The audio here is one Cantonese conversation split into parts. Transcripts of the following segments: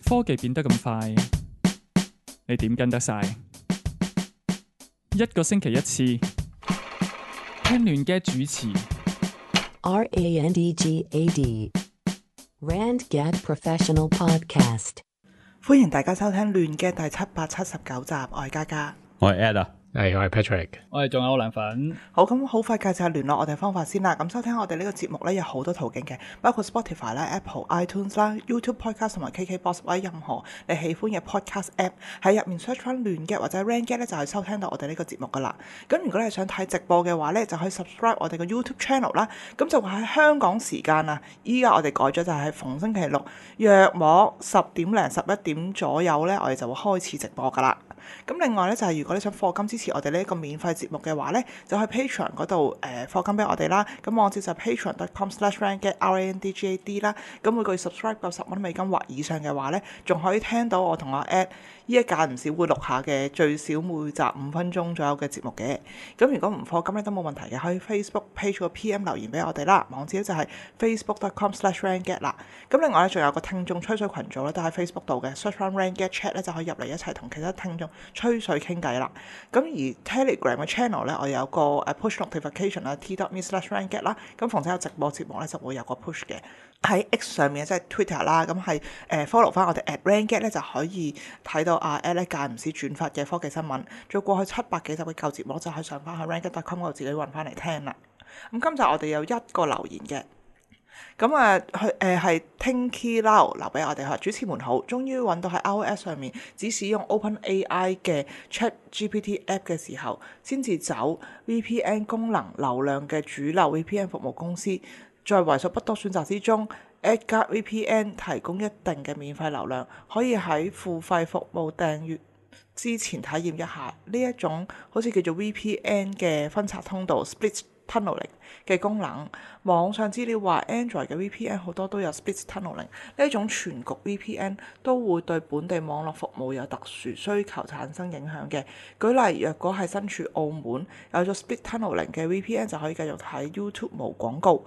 科技變得咁快，你點跟得晒？一個星期一次，聽亂嘅主持。RANDGAD RandGad Professional Podcast。歡迎大家收聽亂嘅第779集，我係嘉嘉，我係 Ed 啊，我係 Patrick。我哋仲有涼粉。好，咁好快介紹下聯絡我哋方法先啦。咁收聽我哋呢個節目咧有好多途徑嘅，包括 Spotify 啦、Apple iTunes 啦、YouTube Podcast 同埋 KKBox 或者任何你喜歡嘅 Podcast App 喺入面 search 翻亂嘅或者 RandGad 咧就係收聽到我哋呢個節目噶啦。咁如果你係想睇直播嘅話咧，就可以 subscribe 我哋嘅 YouTube channel 啦。咁就會喺香港時間啊，依家我哋改咗就係逢星期六約莫10點零11點左右咧，我哋就會開始直播噶啦。咁另外咧就係如果你想課金支持我哋呢一個免費節目嘅話咧，就去 Patreon 嗰度課金俾我哋啦。咁網址就係 patreon.com/randgad RANDGAD 啦。咁每個月 subscribe 夠10蚊美金或以上嘅話咧，仲可以聽到我同阿 Ed 依一間唔少會錄下嘅最少每集5分鐘左右嘅節目嘅。咁如果唔課金咧都冇問題嘅，可以 Facebook page 個 PM 留言俾我哋啦。網址就係 facebook.com/randgad 啦。咁另外咧仲有個聽眾吹水群組咧，都喺 Facebook 度嘅 search 翻 randgad chat 咧就可以入嚟一齊同其他聽眾吹水傾偈啦。咁而 Telegram 嘅 channel 咧，我有個push notification 啦 t.me/randgad 啦。咁逢親有直播節目咧，就會有個 push 嘅。喺 X 上面即係 Twitter 啦，咁係follow 翻我哋 @randgad 咧就可以睇到阿 Ed 咧間唔時轉發嘅科技新聞。再過去700幾集嘅舊節目就可以上翻去 randgad.com 嗰度自己揾翻嚟聽啦。咁今集我哋有一個留言嘅。咁佢係 Tinky Lau 留俾我哋，主持們好，終於揾到喺 iOS 上面只使用 OpenAI 嘅 ChatGPT App 嘅時候，先至走 VPN 功能流量嘅主流 VPN 服務公司。在為數不多選擇之中 Edgard VPN 提供一定嘅免費流量，可以喺付費服務訂閱之前體驗一下呢一種好似叫做 VPN 嘅分拆通道 Split Tunneling 嘅功能。網上資料話 Android 嘅 VPN 好多都有 Split Tunneling， 呢一種全局 VPN 都會對本地網絡服務有特殊需求產生影響嘅。舉例，若果係身處澳門，有咗 Split Tunneling 嘅 VPN 就可以繼續睇 YouTube 無廣告。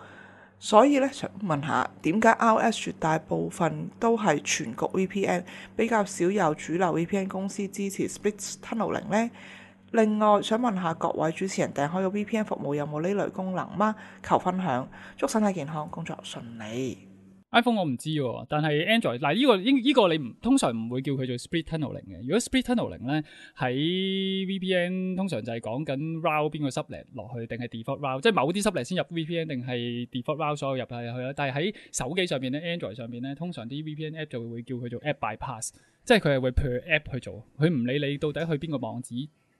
所以咧，想問下點解 iOS 絕大部分都係全局 VPN， 比較少有主流 VPN 公司支持 Split Tunneling 呢？另外想問下各位主持人訂開嘅 VPN 服務有冇呢類功能嗎？求分享，祝身體健康，工作順利。iPhone 我唔知喎，但係 Android 嗱呢個你通常唔會叫佢做 Split Tunneling 嘅。如果 Split Tunneling 咧喺 VPN 通常就係講緊 route 邊個 subnet 落去，定係 default route，即係某啲 subnet 先入 VPN， 定係 default route 所有入去啦。但係喺手機上面咧 ，Android 上面咧，通常啲 VPN app 就會叫佢做 app bypass， 即係佢係會 per app 去做，佢唔理你到底去邊個網址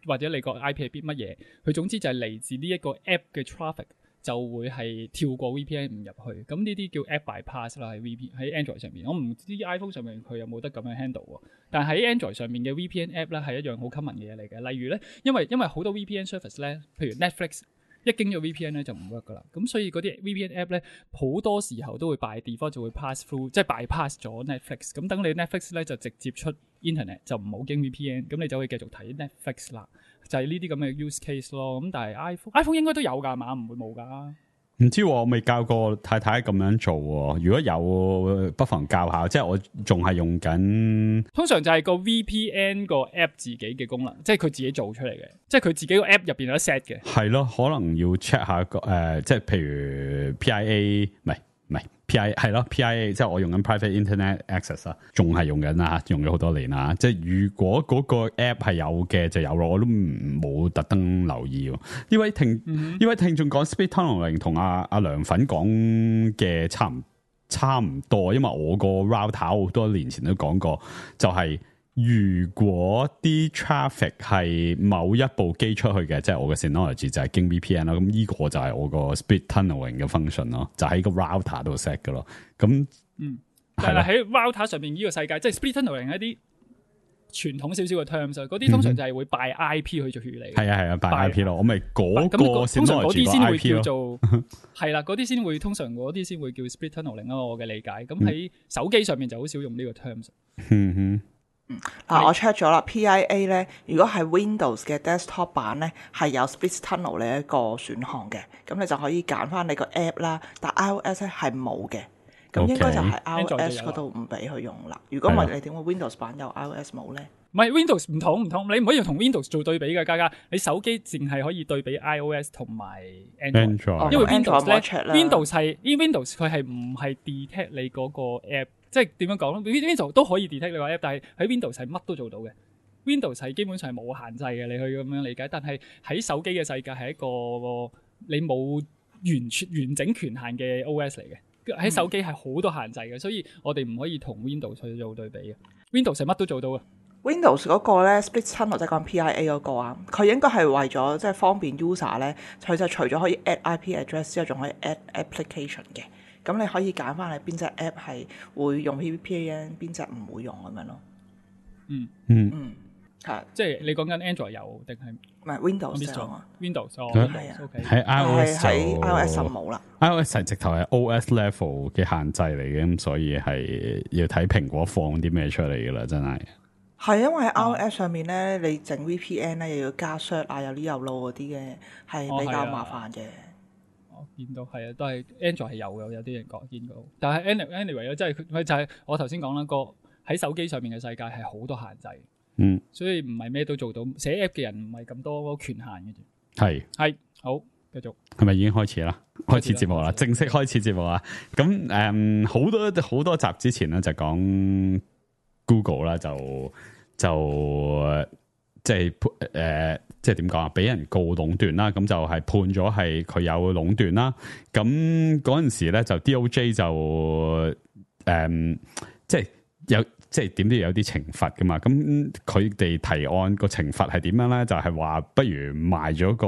或者你個 IP 係邊乜嘢，佢總之就係嚟自呢一個 app 嘅 traffic。就會係跳過 VPN 唔入去，咁呢啲叫 app bypass 啦，喺 Android 上面，我唔知 iPhone 上面佢有冇得咁樣 handle 喎。但喺 Android 上面嘅 VPN app 咧係一樣好 common 嘅嘢嚟嘅。例如咧，因為好多 VPN service 咧，譬如 Netflix 一經咗 VPN 咧就唔 work 噶啦，咁所以嗰啲 VPN app 咧好多時候都會 by default 就會 pass through， 即係 bypass 咗 Netflix。咁等你 Netflix 咧就直接出 internet 就唔好經 VPN， 咁你就可以繼續睇 Netflix 啦。就係呢啲咁嘅 use case 咯，咁但係 iPhone 應該都有㗎嘛，唔會冇㗎。唔知我未教過太太咁樣做喎，如果有不妨教下，即係我仲係用緊。通常就係個 VPN 個 app 自己嘅功能，即係佢自己做出嚟嘅，即係佢自己個 app 入邊有得 set 嘅。係咯，可能要 check 下即係譬如 PIA 唔係 PIA 係咯 PIA， 即係我用緊 Private Internet Access 啊，仲係用緊啊，用咗好多年啦。即係如果嗰個 app 係有嘅就有咯，我都冇特登留意喎。呢位聽眾講 Split Tunneling 同阿涼粉講嘅差唔多，因為我個 router 好多年前都講過，就係如果啲 traffic 係某一部機出去嘅，即係我嘅 Synology 就係經 VPN 啦，咁呢個就係我個 Split Tunneling 嘅 function 咯，就喺個 router 度 set 嘅咯。咁但係喺 router 上面呢個世界，即係 Split Tunneling 一啲傳統少少嘅 terms， 嗰啲通常就係會 by IP 去做處理。係啊 by IP 咯，我咪嗰個通常嗰啲先會 IP 叫做係啦，嗰啲先會通常嗰啲先會叫 Split Tunneling 咯，我嘅理解。咁喺手機上面就好少用呢個 terms。我 check 咗啦 ，PIA 咧，如果係 Windows 嘅 desktop 版咧，係有 Split Tunnel 呢一個選項嘅，咁你就可以揀翻你個 app 啦。但 iOS 咧係冇嘅。咁應該就係 Android 就 iOS 有嗰度唔俾佢用啦。如果唔係，你點會 Windows 版有 iOS 冇咧？唔係 Windows 唔同，你唔可以同 Windows 做對比嘅，家家。你手機淨係可以對比 iOS 同埋 Android，因為 Windows 咧 ，Windows 佢係唔係 detect 你嗰個 app， 即係點樣講咧 ？Windows 都可以 detect 你個 app， 但係喺 Windows 係乜都做到嘅。Windows 係基本上係冇限制嘅，你可以咁樣理解。但係喺手機嘅世界係一個你冇完整權限嘅 OS 嚟嘅。喺手機係好多限制嘅，所以我哋唔可以同 Windows 去做對比嘅。Windows 係乜都做到嘅。Windows 嗰個咧 Split Tunnel 即係講 PIA 嗰個啊，佢應該係為咗即係方便 user 咧，佢就除咗可以 add IP address 之後，仲可以 add application 嘅。咁你可以揀翻你邊隻 app 係會用 VPN， 邊隻唔會用咁樣咯。係，即係你講緊 Android 有定係唔係 Windows 啊 ？Windows 係啊，喺 iOS 喺 iOS 就冇啦。iOS 係直頭係 OS level 嘅限制嚟嘅，咁所以係要睇蘋果放啲咩出嚟噶啦，真係。係因為喺 iOS 上面咧，你整 VPN 咧又要加 cert 啊，有呢有路嗰啲嘅，係比較麻煩嘅。我見到係啊，都係 Android 係有嘅，有啲人講見到。但係 anyway 咧，即係佢就係我頭先講啦，個喺手機上面嘅世界係好多限制。所以唔係咩都做到，寫 app 嘅人唔係咁多權限嘅啫。係好，繼續係咪已經開始啦？開始節目啦，正式開始節目啦。咁好多集之前咧就講 Google 啦，就即係即係點講啊？俾人告壟斷啦，咁就係判咗係佢有壟斷啦。咁嗰陣時咧就 DOJ 就即係有。即係點都要有啲懲罰噶嘛，咁佢哋提案個懲罰係點樣咧？就係話不如賣咗個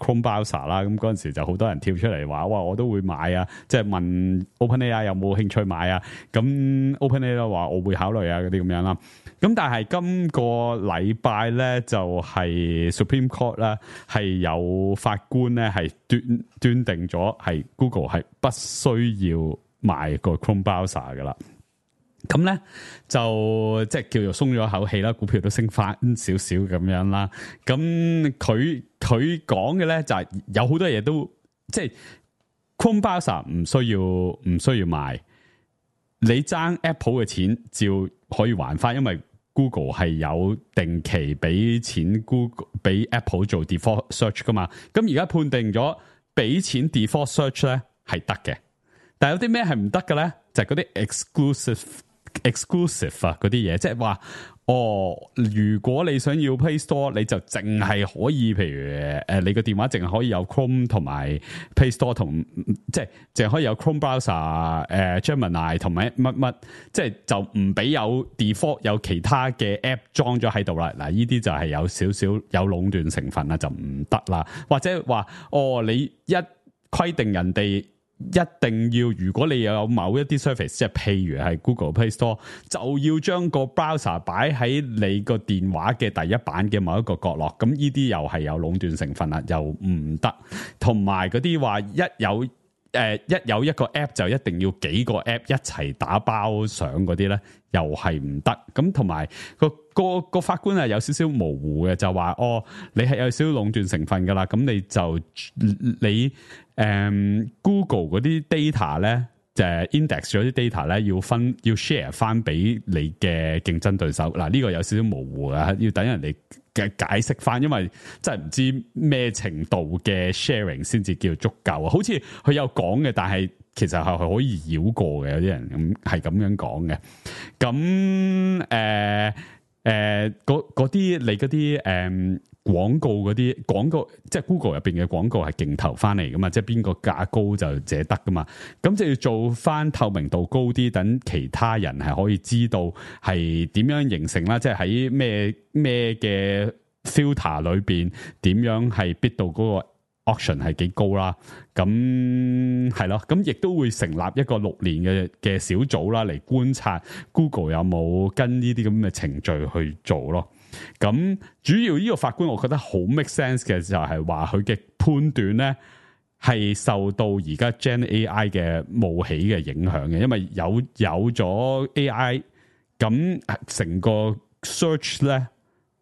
Chrome Browser 啦，咁嗰陣時就好多人跳出嚟話，哇，我都會買啊！即係問 OpenAI 有冇興趣買啊？咁 OpenAI 話我會考慮啊，嗰啲咁樣啦。咁但係今個禮拜咧就係 Supreme Court 啦，係有法官咧係斷定咗係 Google 係不需要賣個 Chrome Browser 噶啦。咁咧就即係叫做鬆咗一口氣啦，股票都升翻少少咁樣啦。咁佢講嘅咧就係有好多嘢都即係 Chrome Browser 唔需要賣，你爭 Apple 嘅錢照可以還翻，因為 Google 係有定期俾錢 Google 俾 Apple 做 default search 噶嘛。咁而家判定咗俾錢 default search 咧係得嘅，但係有啲咩係唔得嘅咧？就係嗰啲exclusive 啊嗰啲嘢，即係話如果你想要 Play Store， 你就淨係可以，譬如你個電話淨係可以有 Chrome 同埋 Play Store 同，即係淨係可以有 Chrome Browser Gemini 同埋乜，即係就唔俾有 default 有其他嘅 app 裝咗喺度啦。嗱，呢啲就係有少少有壟斷成分啦，就唔得啦。或者話你一規定人哋。一定要，如果你有某一啲 service， 即係譬如係 Google Play Store， 就要將個 browser 擺喺你個電話嘅第一版嘅某一個角落，咁呢啲又係有壟斷成分啦，又唔得。同埋嗰啲話一有一個 app 就一定要幾個 app 一齊打包上嗰啲咧，又係唔得。咁同埋個法官係有少少模糊嘅，就話你係有少少壟斷成分噶啦，咁你Google 嗰啲 data 咧，就 index 咗啲 data 咧，要 share 翻俾你嘅競爭對手。嗱，呢個有少少模糊啊，要等人哋嘅解釋翻，因為真係唔知咩程度嘅 sharing 先至叫足夠啊。好似佢有講嘅，但係其實係可以繞過嘅，有啲人咁係咁樣講嘅。咁嗰啲你嗰啲廣告即係 Google 入邊嘅廣告係競投翻嚟噶嘛，即係邊個價高就借得噶嘛，咁就要做翻透明度高啲，等其他人係可以知道係點樣形成啦，即係喺咩嘅 filter 裏邊點樣係 bid 到嗰個 auction 係幾高啦，咁係咯，咁亦都會成立一個6年嘅小組啦，嚟觀察 Google 有冇跟呢啲咁嘅程序去做咯。咁主要呢個法官我覺得好 make sense 嘅就係話佢嘅判斷咧係受到而家 Gen AI 嘅冒起嘅影響嘅，因為有咗 AI， 咁成個 search 咧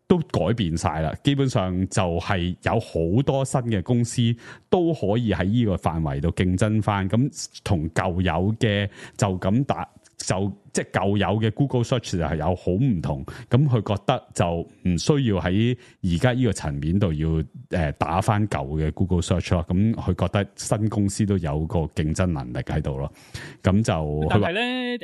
都改變晒啦，基本上就係有好多新嘅公司都可以喺呢個範圍度競爭翻，咁同舊有嘅就咁即係舊有嘅 Google Search 就係有好唔同，咁佢覺得就唔需要喺而家呢個層面度要打翻舊嘅 Google Search 咯，咁佢覺得新公司都有個競爭能力喺度咯，咁就但係咧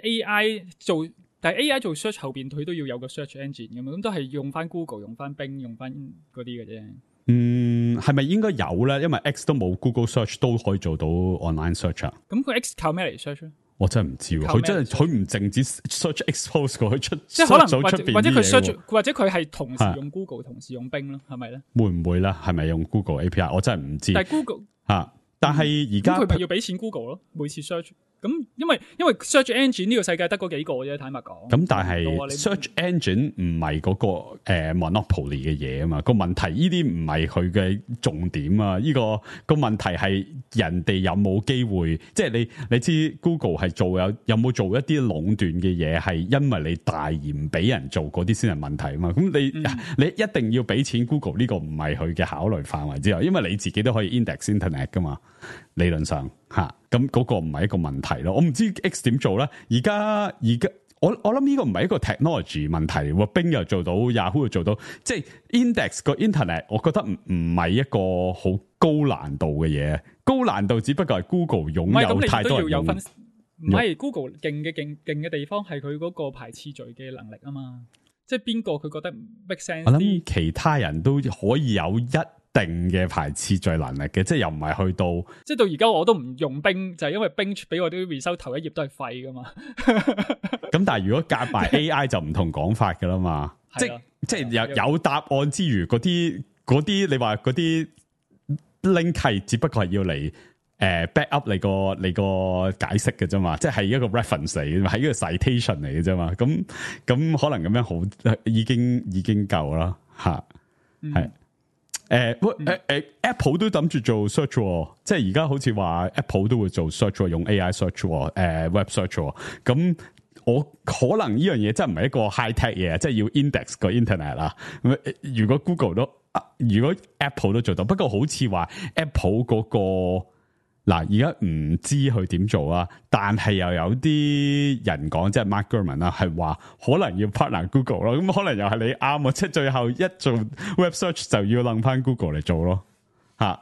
但係 AI 做 search 後邊佢都要有個 search engine 咁嘛，咁都係用翻 Google、用翻 Bing、用翻嗰啲嘅啫。係咪應該有咧？因為 X 都冇 Google Search 都可以做到 online search 啊。咁佢 X 靠咩嚟 search 咧？我真係唔知喎，佢唔淨止 search expose 過去出，即係可能或者佢 search 嘢或者佢係同時用 Google 同時用 Bing 咯，係咪咧？會唔會咧？係咪用 Google API？我真係唔知。但係 Google 但係而家佢咪要俾錢 Google 咯？每次 search 咁，因為 search engine 呢個世界得嗰幾個啫，坦白講。咁但係 search engine 唔係嗰個monopoly 嘅嘢啊嘛，個問題呢啲唔係佢嘅重點啊，呢個問題係人哋有冇機會，即係你知 Google 係有冇做一啲壟斷嘅嘢，係因為你大而唔俾人做嗰啲先係問題啊嘛。咁你一定要俾錢 Google， 呢個唔係佢嘅考慮範圍之外，因為你自己都可以 index internet 噶嘛，理論上吓，咁嗰個唔係一個問題咯。我唔知 X 點做咧，而家我諗呢個唔係一個 technology 問題，Bing 又做到 Yahoo 又做到，即係 index 個 internet， 我覺得唔係一個好高難度嘅嘢，高難度只不過係 Google 擁有太多人用。唔係 Google 勁嘅地方係佢嗰個排次序嘅能力啊嘛，即係邊個佢覺得 make sense？ 我諗其他人都可以有一定嘅排次序能力嘅，即係又唔係去到，即係到而家我都唔用Bing，就係因為Bing俾我啲 result 頭一頁都係廢噶嘛。咁但係如果夾埋 AI 就唔同講法噶啦嘛，即係有答案之餘，嗰啲你話嗰啲 link 係只不過係要嚟back up 你個解釋嘅啫嘛，即係一個 reference 嚟嘅，係一個 citation 嚟嘅啫嘛。咁可能咁樣好已經夠啦吓，係。Apple 都諗住做 search， 即係而家好似話 Apple 都會做 search， 用 AI search， web search。咁我可能呢樣嘢真係唔係一個 high tech 嘢，即係要 index 個 internet 啦。如果 如果 Apple 都做到，不過好似話 Apple 嗰個。嗱，而家唔知佢點做啊，但係又有啲人講，即係 Mark Gurman 啦，係話可能要 partner Google 咯，咁可能又係你啱啊，即係最後一做 web search 就要掕翻 Google 嚟做咯，吓，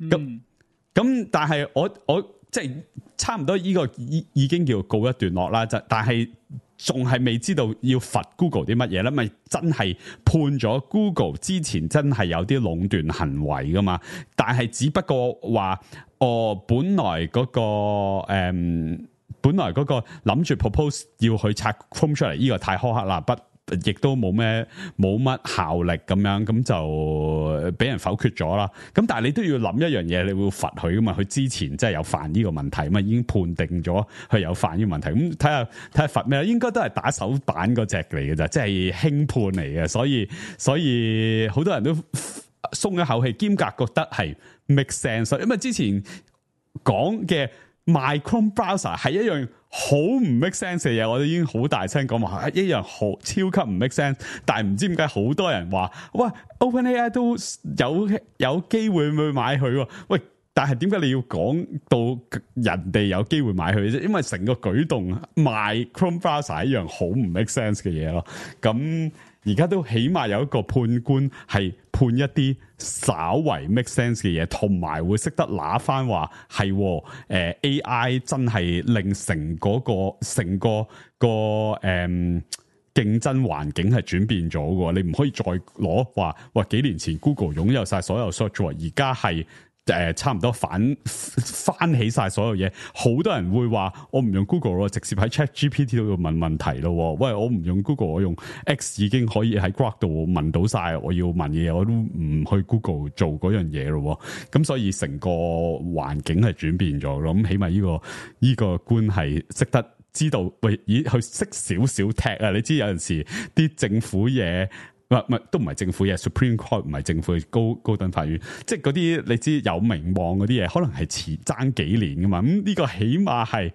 咁但係我即係差唔多呢個已經叫告一段落啦，但係仲係未知道要罰 Google 啲乜嘢咧，咪真係判咗 Google 之前真係有啲壟斷行為噶嘛，但係只不過話本來嗰個諗住 propose 要去拆 Chrome 出嚟，呢個太苛刻啦，亦都冇乜效力咁樣，咁就俾人否決咗啦。咁但係你都要諗一樣嘢，你會罰佢噶嘛？佢之前真係有犯呢個問題嘛，已經判定咗佢有犯呢個問題。咁睇下罰咩？應該都係打手板嗰隻嚟嘅咋，即係輕判嚟嘅。所以好多人都鬆一口氣，兼夾覺得係 make sense。因為之前講嘅賣 Chrome browser 係一樣好唔 make sense 嘅嘢，我哋已經好大聲講話一樣好超級唔 make sense，但係唔知點解好多人話喂 OpenAI 都有機會去買佢，喂，但係點解你要講到人哋有機會買佢啫？因為成個舉動賣 Chrome browser 一樣好唔 make sense 嘅嘢咯，咁。而家都起碼有一個判官係判一啲稍為 make sense 嘅嘢，同埋會識得拿翻話係AI 真係令成個競爭環境係轉變咗嘅。你唔可以再攞話幾年前 Google 擁有晒所有 search， 而家係差唔多翻起晒所有嘢，好多人會話我唔用 Google 咯，直接喺 ChatGPT 度問問題咯。喂，我唔用 Google， 我用 X 已經可以喺 Grok 度問到晒我要問嘅嘢，我都唔去 Google 做嗰樣嘢咯。咁所以成個環境係轉變咗咯。咁起碼呢個官係識得知道，喂，佢識少少踢啊！你知有陣時啲政府嘢。都唔係政府嘢 ，Supreme Court 唔係政府嘅高等法院，即係嗰啲你知有名望嗰啲嘢，可能係遲爭幾年噶嘛。咁呢個起碼係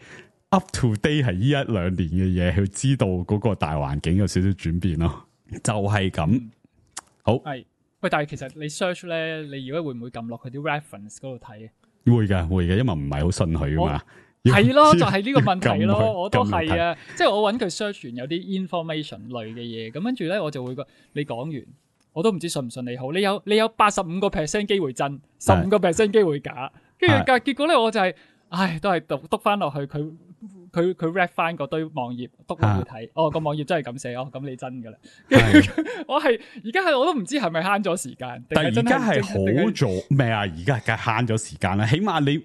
up to date 係呢一兩年嘅嘢，去知道嗰個大環境有少少轉變咯。就係咁，好係喂，但係其實你 search 咧，你如果會唔會撳落佢啲 reference 嗰度睇？會嘅，因為唔係好信佢噶嘛。係咯，就係呢個問題撳佢咯，我都係啊，即係我揾佢 search 完有啲 information 類嘅嘢，咁跟住咧我就會覺你講完，我都唔知信唔信你好，你有85% 機會真，15% 機會假，跟住結果咧我就係，都係篤翻落去佢 read 翻嗰堆網頁，篤落去睇，個網頁真係咁寫，咁你真噶啦，我係而家我都唔知係咪慳咗時間，但係而家係好做咩啊？而家梗係慳咗時間啦，起碼你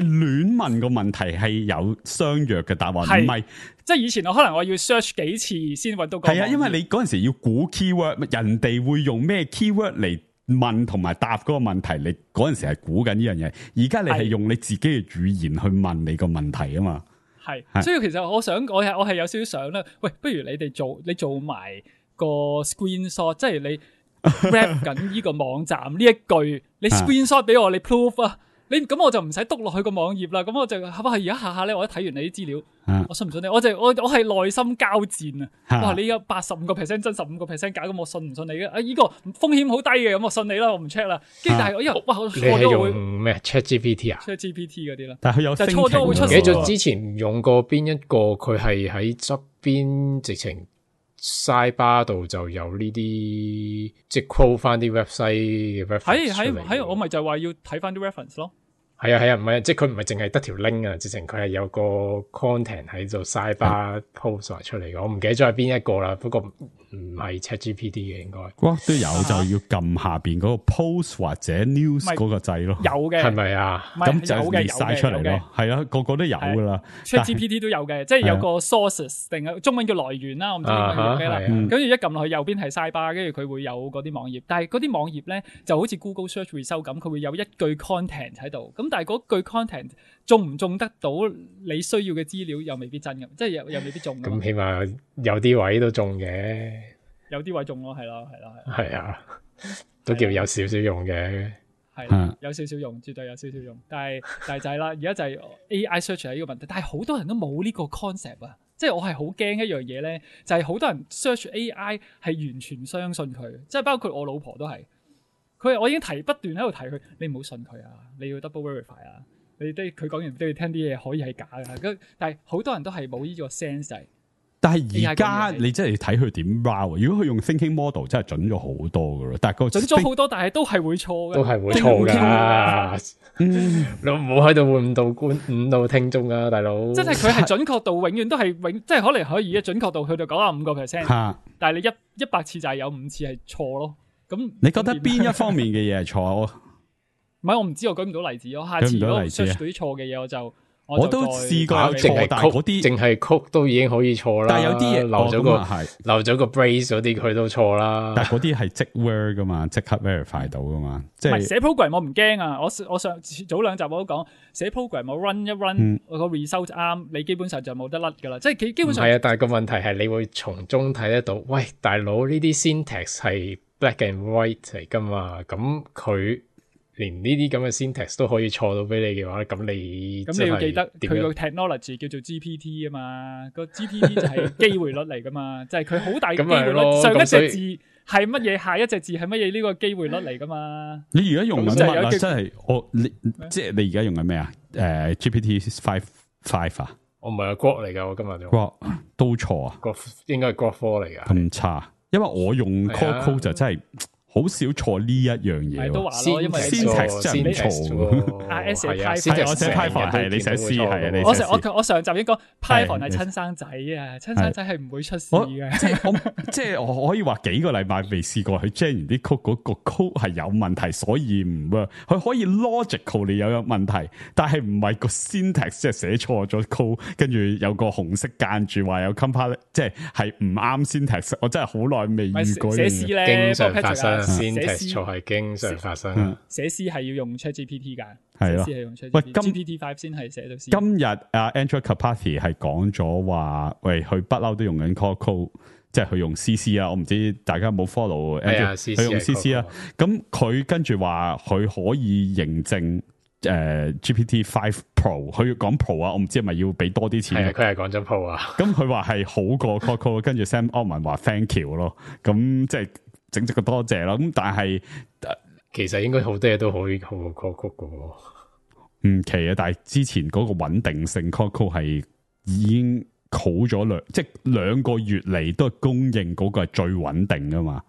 亂問個問題係有相約嘅答案，唔係即係以前我可能我要 search 幾次先揾到個。係啊，因為你嗰陣時要估 keyword， 人哋會用咩 keyword 嚟問同埋答嗰個問題，你嗰陣時係估緊呢樣嘢，而家你係用你自己嘅語言去問你個問題啊嘛。係，所以其實我係有少少想咧，喂，不如你做埋個 screenshot， 即係你 rap 緊呢個網站呢一句，你 screenshot 俾我，你 proof 啊，咁我就唔使篤落去個網頁啦，咁我就而家下咧，我一睇完你啲資料，我信唔信你？我係內心交戰啊！哇，你有85% 真15% 假，咁我信唔信你嘅？呢個風險好低嘅，咁我信你啦，我唔 check 啦。跟住但係我因為我錯咗會咩 ChatGPT 啊 ？ChatGPT 嗰啲啦，但係佢有就錯咗會出。記咗之前用過邊一個？佢係喺側邊直情 sidebar 度就有呢啲，即係 quote 翻啲 website 嘅 reference 出嚟。喺我咪就係話要睇翻啲 reference 咯。係啊，唔係，即係佢唔係淨係得條 link 啊，直情佢係有個 content 喺度 sidebar post 出嚟嘅。我唔記得咗係邊一個啦，不過唔係 ChatGPT 嘅應該。都有就要撳下邊嗰個 post 或者 news 嗰個掣咯。有嘅係咪啊？咁就列晒出嚟咯。係啊，個個都有噶啦。ChatGPT 都有嘅，即係有個 sources 定係中文叫來源啦，我唔知點樣叫咩啦。跟住一撳落去右邊係 sidebar，跟住佢會有嗰啲網頁，但係嗰啲網頁咧就好似 Google Search Result 咁，佢會有一句 content 喺度。咁但係嗰句 content 中唔中得到你需要嘅資料又未必真嘅，即係又未必中。咁起碼有啲位都中嘅，有啲位中咯，係咯。係啊，都叫有少少用嘅，係有少少用，絕對有少少用。但係就係啦，而家就係 AI search 係呢個問題，但係好多人都冇呢個 concept 啊，即係我係好驚一樣嘢咧，就係好多人 search AI 係完全相信佢，即係包括我老婆都係。我已經不斷喺度提佢，你唔好信佢啊！你要 double verify 啊！佢講完都要聽啲嘢，可以係假嘅。但係好多人都係冇呢個 sense 就係。但係而家你真係睇佢點 route， 如果佢用 thinking model 真係準咗好多噶咯，但係準咗好多，但係都係會錯嘅，都係會錯噶。你唔好喺度誤導聽眾啊，大佬！真係佢係準確度永遠都係即係可能可以嘅準確度去到95%，但係你100次就係有5次係錯咯。咁你覺得邊一方面嘅嘢係錯？唔係我唔知，我舉唔到例子。我下次如果 search 到啲錯嘅嘢，我都試過錯，但係嗰啲淨係曲都已經可以錯啦。但係有啲嘢漏咗個 brace 嗰啲，佢都錯啦。但係嗰啲係即 word 噶嘛，即刻 verify 到噶嘛。即係寫 program 我唔驚啊！我上早2集我都講寫 program 我 run 一 run 個 result 啱，你基本上就冇得甩噶啦。即係佢基本上係啊，但係個問題係你會從中睇得到，喂，大佬呢啲 syntax 係 black and white 嚟噶嘛？咁佢連呢啲咁嘅 syntax 都可以錯到俾你嘅話，咁你要記得佢個 technology 叫做 GPT 啊嘛，個 GPT 就係機會率嚟噶嘛，即係佢好大嘅機會率，上一隻字係乜嘢，下一隻字係乜嘢，呢個機會率嚟噶嘛。你而家用緊乜啊？真係即係你而家用緊咩啊？GPT 5啊？我唔係Grok嚟噶，我今日就 Grok 都錯啊？應該係 Grok 4嚟噶，咁差。因為我用 Code 就真係好少錯呢一樣嘢，都話咯，因為 syntax 真係唔錯。RS 係我寫 Python 係你寫 C 係啊，你我上集已經講 Python 係親生仔啊，親生仔係唔會出事嘅。即係我可以話幾個禮拜未試過佢 gen 完啲 code 嗰個 code 係有問題，所以唔 work。佢可以 logical 你有問題，但係唔係個 syntax 即係寫錯咗 code， 跟住有個紅色間住話有 compile， 即係唔啱 syntax。我真係好耐未遇過。寫 C 咧，經常發生。syntax 錯係經常發生，寫 C 係要用 ChatGPT 噶，係咯。喂，GPT 5先係寫到 C。今日Andrew Karpathy 係講咗話，喂，佢不嬲都用緊 code， 即係佢用 CC 啊。我唔知大家有冇 follow， 佢用 CC 啊。咁佢跟住話佢可以認證GPT 5 Pro， 佢要講 Pro 啊，我唔知係咪要俾多啲錢。係佢係講咗 Pro 啊。咁佢話係好過 code， 跟住 Sam Altman 話 Thank you 咯。咁即係。整咗個多謝咯。咁但係其實應該好多嘢都可以好過 Quadcode 嘅喎。唔奇啊！但係之前嗰個穩定性 Quadcode 係已經好咗即係2個月嚟都係公認嗰個係最穩定噶嘛。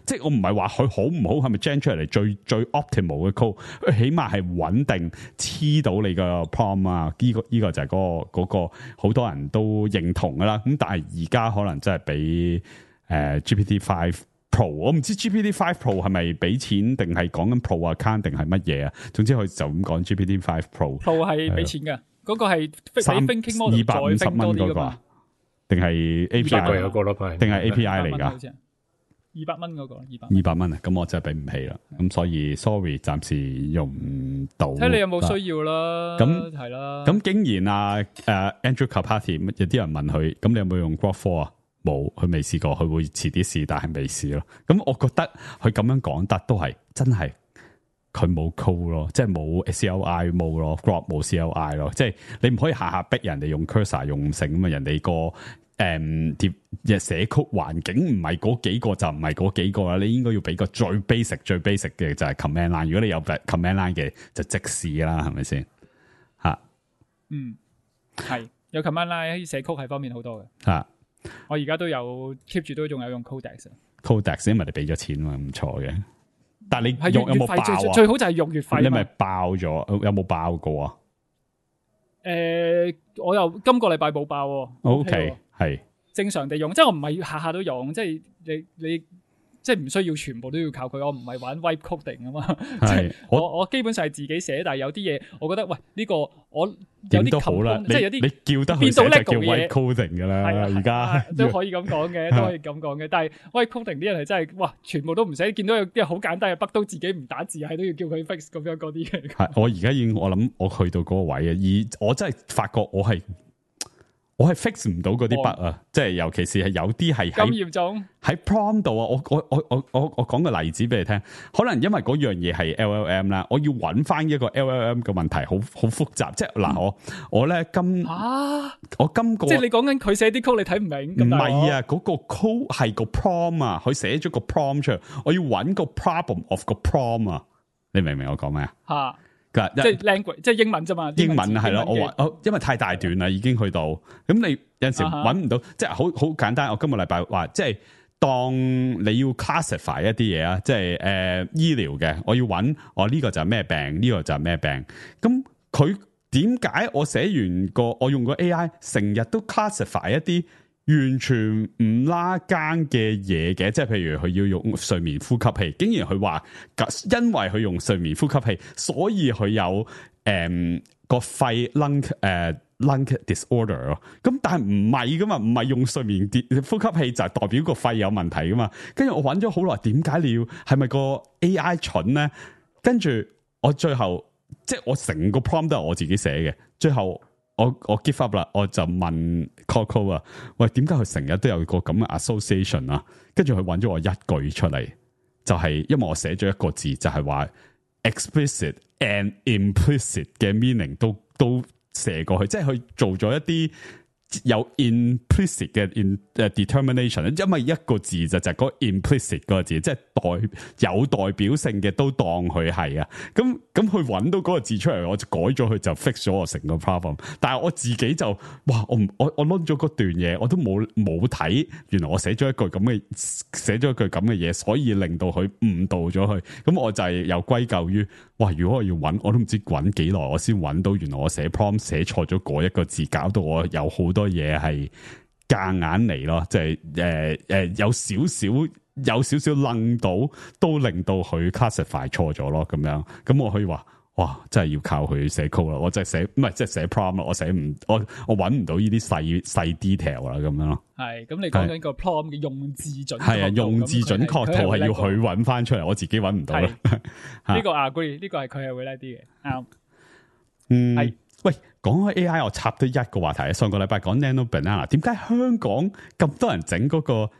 即係我唔係話佢好唔好，係咪 gen 出嚟最 optimal 嘅 code？佢起碼係穩定黐到你個 prompt 啊！呢個就係嗰個好多人都認同噶啦。咁但係而家可能真係比GPT-5 Pro， 我唔知 GPT-5 Pro 係咪俾錢定係講緊 Pro account 定係乜嘢啊？總之佢就咁講 GPT-5 Pro。Pro 係俾錢㗎，嗰個係比 thinking model 再升多啲㗎嘛？定係 API 嗰個咯，定係 API 嚟㗎？200蚊嗰個200蚊啊！咁我真係俾唔起啦。咁所以 sorry， 暫時用唔到。睇你有冇需要啦。咁係啦。咁竟然Andrew Karpathy 有啲人問佢，咁你有冇用 Grok 4啊？冇，佢未試過，佢會遲啲試，但係未試咯。咁我覺得佢咁樣講得都係真係佢冇 code 咯，即係冇 CLI 冇咯 ，Grok 冇 CLI 咯。即係你唔可以下下逼人哋用 cursor 用成咁啊！人哋個寫曲環境唔係嗰幾個就唔係嗰幾個啦。你應該要俾個最 basic 嘅就係 command line。如果你有 command line 嘅就即試啦，係咪先吓？係有 command line 寫曲係方便好多嘅吓。我而家都有 keep 住都仲有用 Codex， 因為你俾咗錢嘛，唔錯嘅。但係你係用有冇爆啊？最好就係用月費。你咪爆咗？有冇爆過啊？我又今個禮拜冇爆喎。OK， 係正常地用，即係我唔係下下都用，即係你即係唔需要全部都要靠佢。我唔係玩 wipe coding 啊嘛，即係我基本上係自己寫，但係有啲嘢我覺得喂呢個我有啲都好啦，即係有啲你叫得佢寫就叫 wipe coding 噶啦，而家都可以咁講嘅，都可以咁講嘅。但係 wipe coding 啲人係真係哇，全部都唔使見到有啲好簡單嘅 bug 都自己唔打字，係都要叫佢 fix 咁樣嗰啲嘅。係我而家已經我諗我去到嗰個位啊，而我真係發覺我係 fix 唔到嗰啲 bug 啊，即係尤其是係有啲係咁嚴重喺 prompt 度啊！我講個例子俾你聽，可能因為嗰樣嘢係 LLM 啦，我要揾翻一個 LLM 嘅問題，好複雜。即係嗱，我咧我今個即係你講緊佢寫啲 code 你睇唔明，唔係啊，嗰個 code 係個 prompt 啊，佢寫咗個 prompt 出嚟，我要揾個 problem of 個 prompt 啊，你明唔明我講咩啊？吓。即係 language， 即係英文啫嘛。英文係咯，我話因為太大段啦，已經去到咁，你有陣時揾唔到，即係好簡單。我今個禮拜話，即係當你要 classify 一啲嘢啊，即係醫療嘅，我要揾我呢個就係咩病，呢個就係咩病。咁佢點解我寫完我用個 AI 成日都 classify 一啲完全唔拉更嘅嘢嘅，即係譬如佢要用睡眠呼吸器，竟然佢話因為佢用睡眠呼吸器，所以佢有個肺 lung disorder 咯。咁但係唔係噶嘛，唔係用睡眠呼吸器就係代表個肺有問題噶嘛。跟住我揾咗好耐，點解你要係咪個 AI 蠢咧？跟住我最後即係我成個 prompt 都係我自己寫嘅，最後。我 give up 啦，我就問 Coco 啊，喂，點解佢成日都有個咁嘅 association 啊？跟住佢揾咗我一句出嚟，就係因為我寫咗一個字，就係話 explicit and implicit 嘅 meaning 都射過去，即係佢做咗一啲有 implicit 嘅determination，因為一個字就係嗰個 implicit 嗰個字，即係有代表性嘅都當佢係啊。咁佢揾到嗰個字出嚟，我就改咗佢，就 fix 咗我成個 problem。但係我自己就哇，我 load 咗嗰段嘢，我都冇睇，原來我寫咗一句咁嘅嘢，所以令到佢誤導咗佢。咁我就係又歸咎於哇，如果我要揾，我都唔知揾幾耐，我先揾到原來我寫 prompt 寫錯咗嗰一個字，搞到我有好多嘢係夾硬嚟咯，即係有少少愣到，都令到佢 classify 錯咗咯，咁樣。咁我可以話，哇，真係要靠佢寫 code 啦，我真係寫唔係即係寫 prompt 啦，我揾唔到呢啲細 detail 啦，咁樣咯。係，咁你講緊個 prompt 嘅用字準確，係啊，用字準確度係要佢揾翻出嚟，我自己揾唔到啦。呢個 agree， 呢個係佢係會叻啲嘅，啱。係。喂，講開 AI， 我插咗一個話題。上個禮拜講 Nano Banana， 點解香港咁多人整嗰個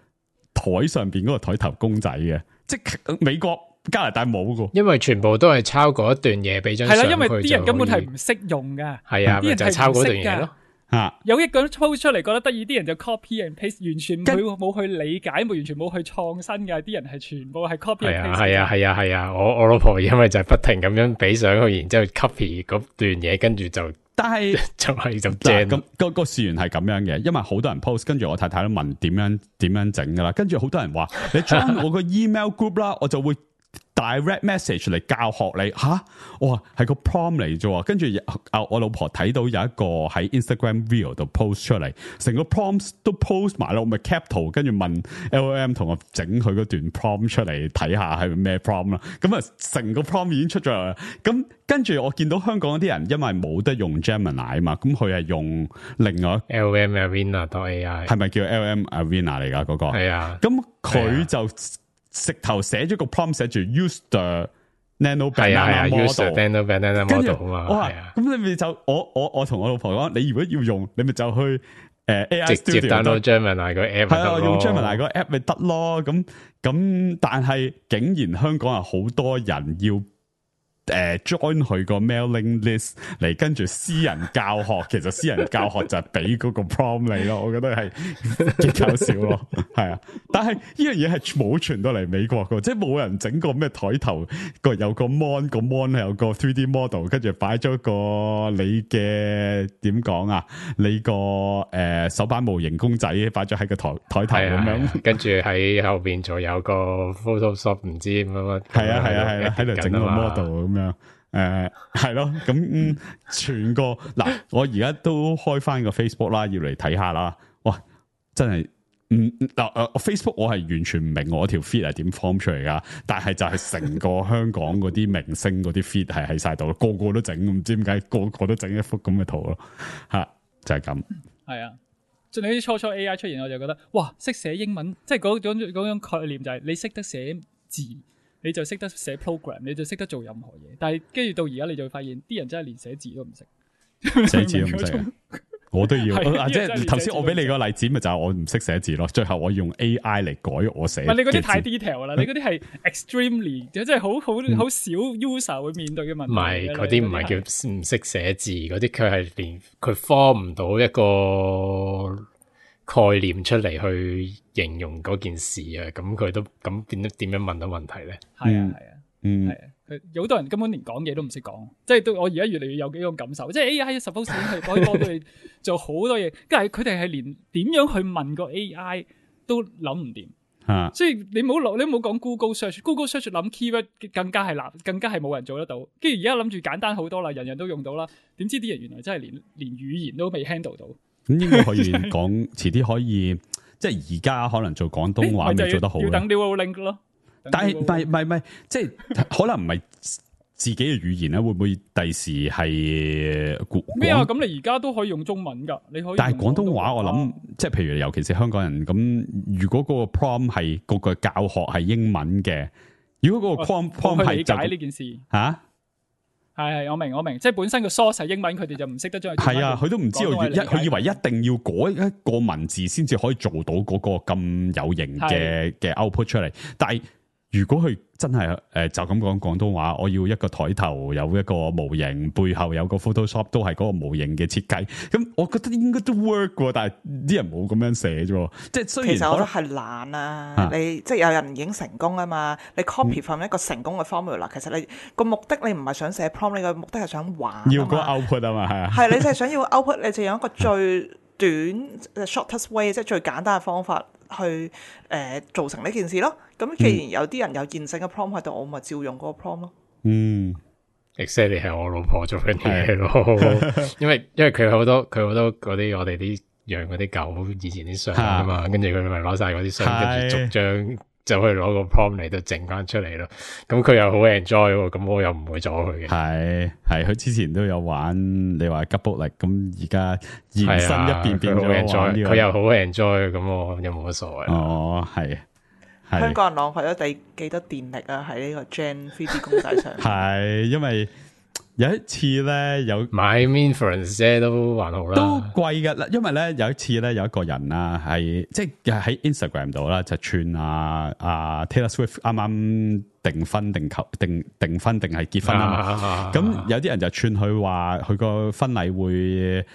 台上邊嗰個台頭公仔嘅？即係美國、加拿大冇噶，因為全部都係抄嗰一段嘢俾張相佢。係啦，因為啲人根本係唔識用噶。係啊，咪就係抄嗰段嘢咯。有一個人 post 出嚟覺得得意，啲人就 copy and paste， 完全冇去理解，完全冇去創新嘅，啲人係全部係 copy and paste。係啊，我老婆因為就係不停咁樣俾上去，然之後 copy 嗰段嘢，跟住就但係就係咁正。咁個事源係咁樣嘅，因為好多人 post， 跟住我太太都問點樣整噶啦，跟住好多人話你 join 我個 email group 啦，我就會direct message 嚟教學你吓，哇係個 prompt 嚟啫，跟住我老婆睇到有一個喺 Instagram Reel 度 post 出嚟，成個 prompt 都 post 埋啦，我咪 cap 圖，跟住問 LLM 同我整佢嗰段 prompt 出嚟睇下係咩 prompt 啦，咁啊成個 prompt 已經出咗嚟啦，咁跟住我見到香港啲人因為冇得用 Gemini 啊嘛，咁佢係用另外 LLM Arena.ai 係咪叫 LLM Arena 嚟㗎嗰個？係啊，咁佢就直頭寫咗個 prompt 寫住 use the nano banana model，use the nano banana model 啊嘛，係啊。咁你咪就我同我老婆講，你如果要用，你咪就去AI 直接 Studio download Gemini 個 app 係啊，用 Gemini 個 app 咪得咯。咁，但係竟然香港有好多人要join 佢個 mailing list 嚟跟住私人教學，其實私人教學就係俾嗰個 prompt 你咯，我覺得係幾搞笑咯，係啊！但係呢樣嘢係冇傳到嚟美國噶，即係冇人整過咩台頭有個 mon 係有個 3D model， 跟住擺咗個你嘅點講啊，你個手板模型公仔擺咗喺個台頭咁樣，跟住喺後邊仲有個 Photoshop 唔知乜係啊，喺度整個 model 咁樣，係咯，咁全個嗱，我而家都開翻個 Facebook 啦，要嚟睇下啦，哇，真係Facebook 我係完全唔明我條 feed 係點 form 出嚟噶，但係就係成個香港嗰啲明星嗰啲 feed 係喺晒度，個個都整，唔知點解個個都整一幅咁嘅圖咯，吓就係咁，係啊。即係你啲初 AI 出現，我就覺得哇，識寫英文，即係嗰種概念就係你識得寫字，你就識得寫 program， 你就識得做任何嘢。但係跟住到而家，你就會發現啲人真係連寫字都唔識，寫字都唔識。我都要，即係頭先我俾你個例子，咪就係我唔識寫字咯。最後我用 AI 嚟改我寫。唔係你嗰啲太 detail 啦，你嗰啲係 extremely， 即係好少 user 會面對嘅問題。唔係嗰啲唔係叫唔識寫字，嗰啲佢係連佢 form 唔到一個概念出嚟去形容嗰件事啊。咁佢都咁點樣問到問題咧？係啊，係啊。有好多人根本連講嘢都唔識講，即係我而家越嚟越有幾種感受，即係 AI suppose 係可以幫到你做好多嘢，但係佢哋係連點樣去問個 AI 都諗唔掂，所以你冇講 Google Search 諗 keyword 更加係難，更加係冇人做得到。跟住而家諗住簡單好多啦，人人都用到啦，點知啲人原來真係連語言都未 handle 到。咁應該可以講，遲啲可以，即係而家可能做廣東話未做得好，要等 Neuralink 咯。但係唔係，即係可能唔係自己嘅語言咧，會唔會第時係咩啊？咁你而家都可以用中文噶，你可以。但係廣東話我諗，即係譬如尤其是香港人咁，如果嗰個 prompt 係嗰個教學係英文嘅，如果嗰個 prompt 係理解呢件事吓，係我明，即係本身個 source 係英文，佢哋就唔識得將係啊，佢都唔知道佢以為一定要改一個文字先至可以做到嗰個咁有型嘅 output 出嚟，但係。如果佢真係就咁講廣東話，我要一個台頭有一個模型，背後有個 Photoshop 都係嗰個模型嘅設計，咁我覺得應該都 work 喎，但係啲人冇咁樣寫啫，即係雖然其實我覺得係懶啊，你即係有人已經成功啊嘛，你 copy from 一個成功嘅 formula，其實你個目的你唔係想寫 prompt，你個目的係想玩，要個 output 啊嘛，係啊，係你就係想要 output， 你就用一個最短 shortest way， 即係最簡單嘅方法去做成呢件事咯。咁既然有啲人有現成嘅 prompt 喺度，我咪照用嗰個 prompt 咯。exactly 係我老婆做緊嘢咯，因為佢好多嗰啲我哋啲養嗰啲狗以前啲相啊嘛，跟住佢咪攞晒嗰啲相，跟住逐張就可以攞個 prompt 嚟到整翻出嚟咯。咁佢又好 enjoy， 咁我又唔會阻佢嘅。係佢之前都有玩，你話吉卜力，咁而家延伸一變咗玩佢又好 enjoy， 咁我又冇乜所謂。哦，係。香港人浪費咗幾多電力啊？喺呢個 Gen 3D 公仔上。係因為有一次咧，買 inference 啫，都還好啦，都貴㗎啦。因為咧有一次咧，有一個人啊，係即係喺 Instagram 度啦，就串Taylor Swift 啱啱訂婚訂婚定係結婚啊嘛。咁有啲人就串佢話佢個婚禮會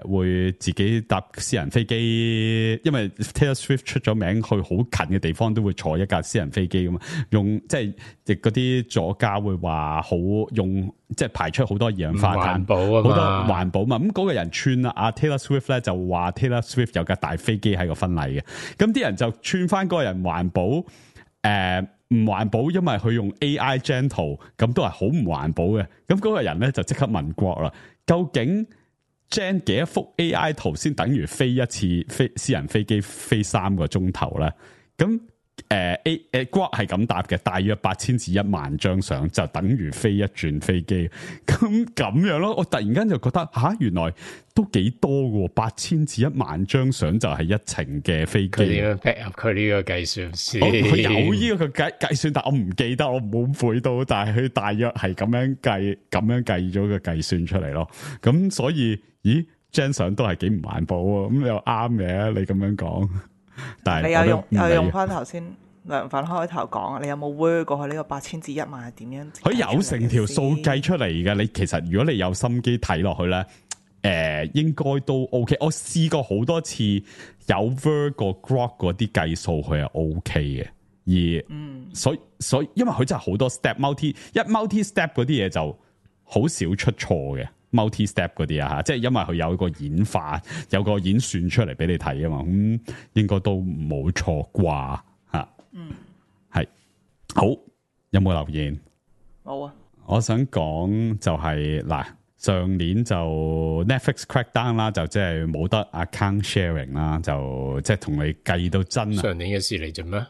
會自己搭私人飛機，因為 Taylor Swift 出咗名，去好近嘅地方都會坐一架私人飛機噶嘛。用即係亦嗰啲左家會話好用，即係排出好多二氧化碳，環保啊嘛，好多環保嘛。咁嗰個人串啦，阿 Taylor Swift 咧就話 Taylor Swift 有架大飛機喺個婚禮嘅，咁啲人就串翻嗰個人環保，唔環保，因為佢用 AI gen 圖，咁都係好唔環保嘅。咁嗰個人咧就即刻問國啦，究竟 gen 幾多幅 AI 圖先等於飛一次私人飛機飛3個鐘頭咧？咁國係咁答嘅，大約8000至1萬張相就等於飛一轉飛機。咁樣咯，我突然間就覺得原來都幾多嘅，8000至1萬張相就係一程嘅飛機。佢點樣 back up 佢呢個計算先？佢有呢個計算，但我唔記得，我冇背到，但係佢大約係咁樣計咗個計算出嚟咯。咁所以，張相都係幾唔環保喎。咁又啱嘅，你咁樣講。但係你又用翻頭先梁粉開頭講，你有冇 work 過去呢個8000至1萬係點樣？佢有成條數計出嚟嘅。你其實如果你有心機睇落去咧，應該都 OK。我試過好多次有 work 過 Grok 嗰啲計數，佢係 OK 嘅。所以因為佢真係好多 step multi step 嗰啲嘢就好少出錯嘅。multi step 嗰啲即係因為佢有一個演化，有個演算出嚟俾你睇啊嘛，咁應該都冇錯啩吓。係好，有冇留言？冇啊。我想講就係上年就 Netflix crackdown 啦，就即係冇得 account sharing 啦，就即係同你計到真啊。上年嘅事嚟啫咩？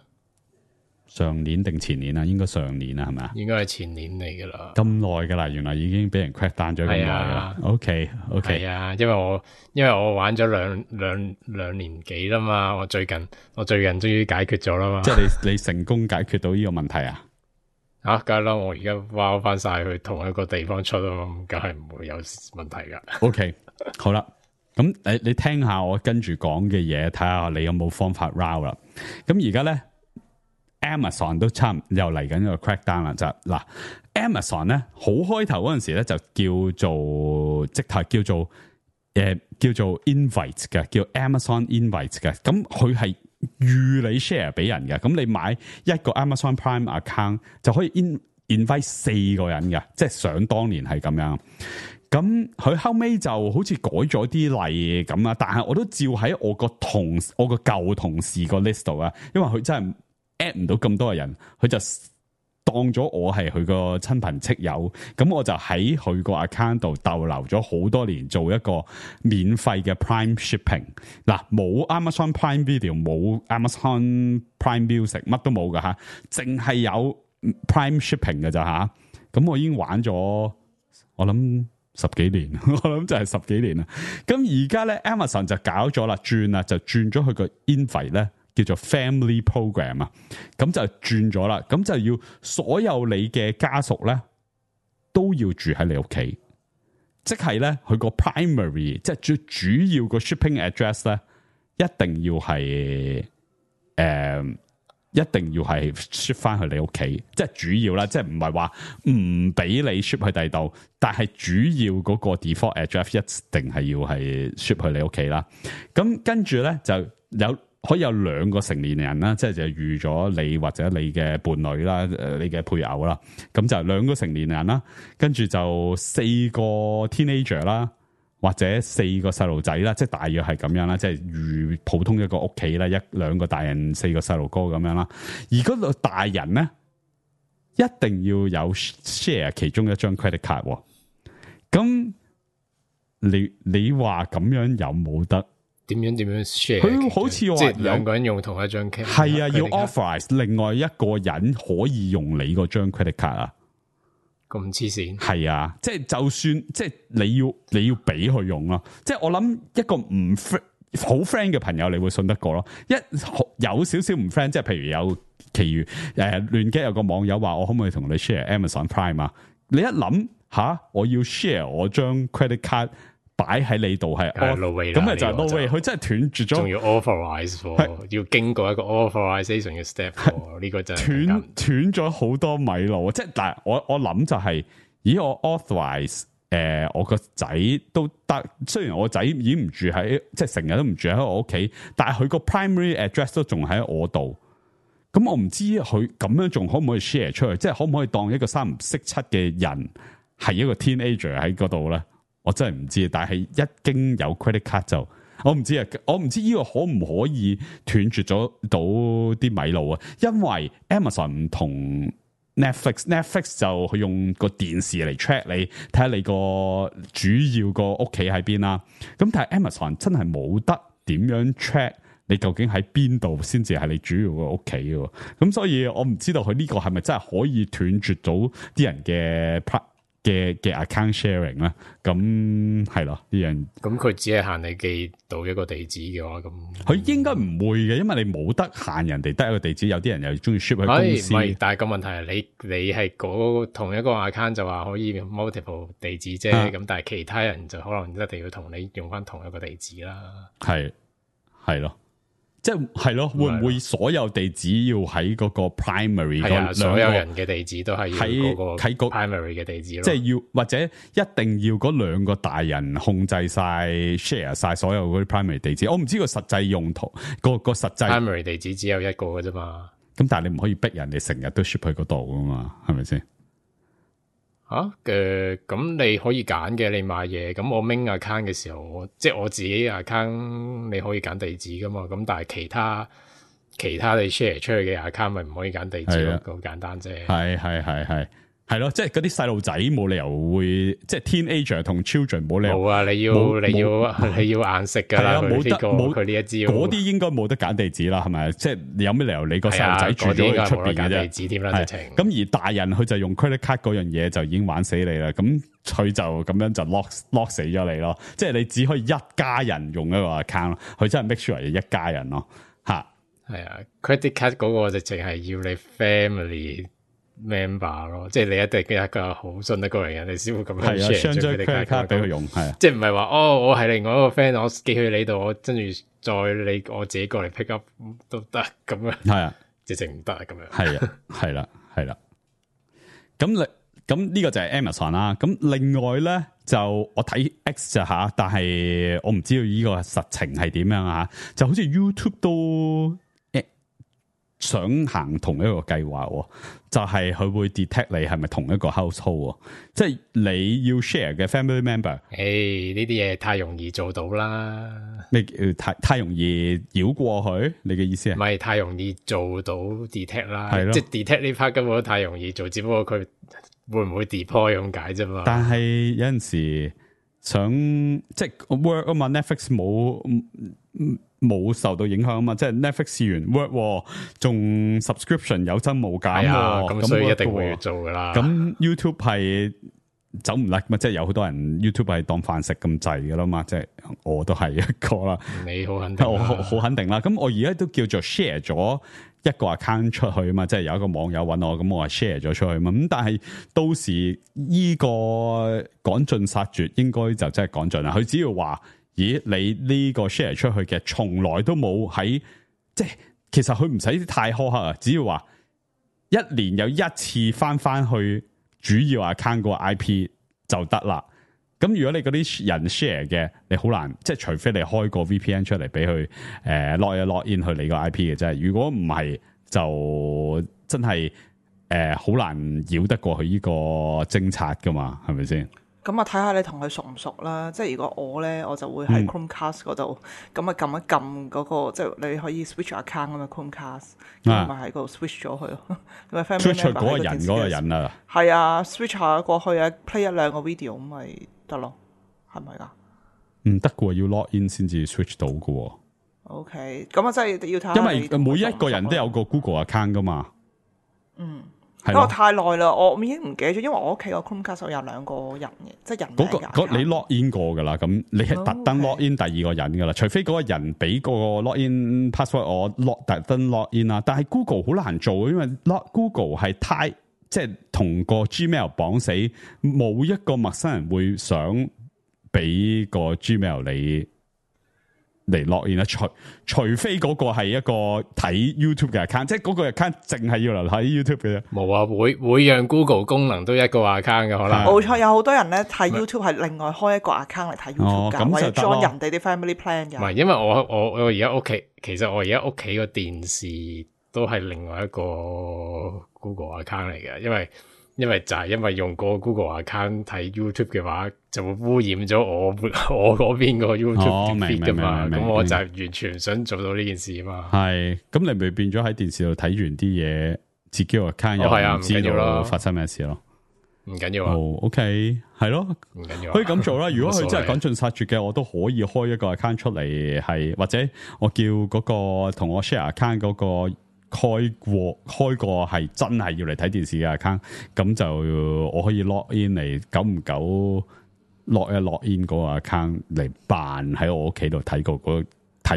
上年定前年啊？應該上年啊，係咪啊？應該係前年嚟噶啦。咁耐噶啦，原來已經俾人 crack down 咗咁耐啦。OK，係啊，因為我玩咗兩年幾啦嘛，我最近終於解決咗啦嘛。即係你成功解決到呢個問題啊？梗係啦，我而家包翻晒去同一個地方出啊嘛，梗係唔會有問題噶。OK， 好啦，咁你聽下我跟住講嘅嘢，睇下你有冇方法 round 啦。咁而家咧。Amazon 都差唔又嚟緊個 crackdown 啦，就Amazon 咧好開頭嗰陣時咧就叫做直頭叫做 invite 嘅，叫 Amazon invite 嘅。咁佢係預你 share 俾人嘅，咁你買一個 Amazon Prime account 就可以 invite 4個人嘅，即係想當年係咁樣。咁佢後尾就好似改咗啲例咁啦，但係我都照喺我個舊同事個 list 度啊，因為佢真係add 唔到咁多嘅人，佢就當咗我係佢個親朋戚友，咁我就喺佢個 account 度逗留咗好多年，做一個免費嘅 Prime Shipping。冇 Amazon Prime Video， 冇 Amazon Prime Music， 乜都冇噶吓，淨係有 Prime Shipping 嘅咋吓。咁我已經玩咗，我諗10幾年，我諗就係10幾年啦。咁而家咧 Amazon 就搞咗啦，就轉咗佢個 invite 咧。叫做 Family Program 啊，咁就轉咗啦，咁就要所有你嘅家屬咧都要住喺你屋企，即係咧佢個 primary 即係最主要個 shipping address 咧，一定要係 ship 翻去你屋企，即係主要啦，即係唔係話唔俾你 ship 去第度，但係主要嗰個 default address 一定係要係 ship 去你屋企啦。咁跟住咧就可以有2個成年人啦，即係就預咗你或者你嘅伴侶啦，你嘅配偶啦，咁就2個成年人啦，跟住就4個 teenager 啦，或者4個細路仔啦，即係大約係咁樣啦，即係預普通一個屋企啦，2個大人4個細路哥咁樣啦，而嗰個大人咧一定要有 share 其中一張 credit card，咁你話咁樣有冇得？點樣 share？ 佢好似話即係2個人用同一張 credit card。係啊，要 authorize 另外一個人可以用你嗰張 credit card 啊。咁黐線。係啊，即係就算即係你要俾佢用咯。即係我諗一個唔好 friend 嘅朋友，你會信得過咯。有少少唔 friend，即係譬如有其餘亂機有個網友話我可唔可以同你 share Amazon Prime 啊？你一諗我要 share 我張 credit card。擺喺你度係，咁咪就係 no way，佢真係斷絕咗，仲要 authorize， 要經過一個 authorization 嘅 step， 呢個真係斷咗好多米路。即係但係我諗就係，我 authorize 我個仔都得，雖然我仔已經唔住喺，即係成日都唔住喺我屋企，但係佢個 primary address 都仲喺我度。咁我唔知佢咁樣仲可唔可以 share 出去，即係可唔可以當一個三唔識七嘅人係一個 teenager 喺嗰度咧？我真係唔知。但係一經有 credit card 就我唔知啊，我唔知呢個可唔可以斷絕咗到啲米路啊？因為 Amazon 唔同。Netflix 就佢用個電視嚟 track 你，睇下你個主要個屋企喺邊啦。咁但係 Amazon 真係冇得點樣 track 你究竟喺邊度先至係你主要個屋企嘅。咁所以我唔知道佢呢個係咪真係可以斷絕到啲人嘅 account sharing 咧？咁係咯呢樣。咁佢只係限你寄到一個地址嘅話，咁佢應該唔會嘅，因為你冇得限人哋得一個地址，有啲人又中意 ship 去公司。唔係，但係個問題係你係同一個 account 就話可以 multiple 地址啫，咁但係其他人就可能一定要同你用翻同一個地址啦。係咯。即係咯，會唔會所有地址要喺嗰個 primary？ 係啊，所有人嘅地址都係喺嗰個 primary 嘅地址咯。即係要或者一定要嗰兩個大人控制晒 share 晒所有嗰啲 primary 地址。我唔知個實際用途，個實際 primary 地址只有一個嘅啫嘛。咁但係你唔可以逼人哋成日都 ship 去嗰度噶嘛？係咪先？咁你可以揀嘅，你買嘢，咁我 main account 嘅時候，即係我自己 account 你可以揀地址噶嘛，咁但係其他你 share 出去嘅 account 咪唔可以揀地址咯，好簡單啫。係咯，即係嗰啲細路仔冇理由會，即係 teenager 同 children 冇理由。冇啊，你要硬食噶啦，冇佢呢一招。嗰啲應該冇得揀地址啦，係咪？即係有咩理由你個細路仔住咗喺出邊嘅啫？地址添啦，直情。咁而大人佢就用 credit card 嗰樣嘢就已經玩死你啦。咁佢就咁樣就 lock 死咗你咯。即係你只可以一家人用一個 account 咯。佢真係 make sure 係一家人咯。吓，係啊 ，credit card 嗰個直情係要你 family member 咯，即係你一定一個好信得過嚟人，你先會咁樣 share 張 credit card 俾佢用，係即係唔係話我係另外一個 friend，我寄去你度，我跟住再我自己過嚟 pick up 都得咁樣，係啊，直情唔得咁樣，係啦，咁呢個就係 Amazon 啦。咁另外咧就我睇 X 就吓，但係我唔知道呢個實情係點樣啊，就好似 YouTube 都想行同一個計劃，就係佢會 detect 你係咪同一個 household，即係你要 share 嘅 family member。呢啲嘢太容易做到啦，咩太容易繞過去？你嘅意思係？唔係太容易做到 detect 啦，即係 detect 呢 part 根本都太容易做，只不過佢會唔會 deploy 咁解啫嘛。但係有陣時想即係 work 啊嘛 ，Netflix 冇受到影響啊嘛，即係 Netflix 試完 work， 仲 subscription 有增無減，咁所以一定會要做噶啦。咁 YouTube 係走唔甩嘛，即係有好多人 YouTube 係當飯食咁滯噶啦嘛，即係我都係一個啦。你好肯定，我好肯定啦。咁我而家都叫做 share 咗一個 account 出去啊嘛，即係有一個網友揾我，咁我係 share 咗出去嘛。咁但係到時呢個趕盡殺絕，應該就真係趕盡啦。佢只要話，咦，你呢個 share 出去嘅，從來都冇喺，即係其實佢唔使太苛刻啊，只要話一年有一次翻去主要 account 個 IP 就得啦。咁如果你嗰啲人 share 嘅，你好難，即係除非你開個 VPN 出嚟俾佢log in 去你個 IP 嘅啫。如果唔係，就真係好難繞得過去呢個偵察噶嘛，係咪先？咁啊，睇下你同佢熟唔熟啦。即係如果我咧，我就會喺 Chromecast 嗰度，咁啊撳一撳嗰個，即係你可以 switch account 啊嘛 Chromecast，咁咪喺嗰度 switch 咗佢咯。咁啊 switch 去嗰個人啊，係啊 switch 下過去啊 play 一兩個 video 咁咪得咯，係咪噶？唔得嘅，要 log in 先至 switch 到嘅。OK， 咁啊真係要睇下，因為每一個人都有個 Google account 噶嘛。因為太耐啦，我已經唔記得咗，因為我屋企個 Chromecast 有兩個人嘅，即係人名嘅。你 log in 過噶啦，咁你係特登 log in 第二個人噶啦，除非嗰個人俾個 log in password 我特登 log in 啦。但係 Google 好難做，因為 Google 係太即係同個 Gmail 綁死，冇一個陌生人會想俾個 Gmail 你嚟落現啦，除非嗰個係一個睇 YouTube 嘅 account，即係嗰個 account 淨係要嚟睇 YouTube 嘅啫。冇啊，會讓 Google 功能都一個 account 嘅可能。冇錯，有好多人咧睇 YouTube 係另外開一個 account 嚟睇 YouTube 㗎，或者 join 人哋啲 family plan 㗎。唔係，因為我而家屋企，其實我而家屋企個電視都係另外一個 Google account 嚟嘅，因為就係因為用個 Google account 睇 YouTube 嘅話，就會污染咗我嗰邊個 YouTube feed 噶嘛，咁我就係完全唔想做到呢件事啊嘛。係，咁你咪變咗喺電視度睇完啲嘢，自己個 account 又唔知道發生咩事咯。唔緊要啊。OK， 係咯，唔緊要，可以咁做啦。如果佢真係趕盡殺絕嘅，我都可以開一個 account 出嚟，係或者我叫嗰個同我 share account 嗰個。開過係真係要嚟睇電視嘅 account，咁就我可以 log in 嚟，久唔久 log in 嗰個 account 嚟扮喺我屋企度睇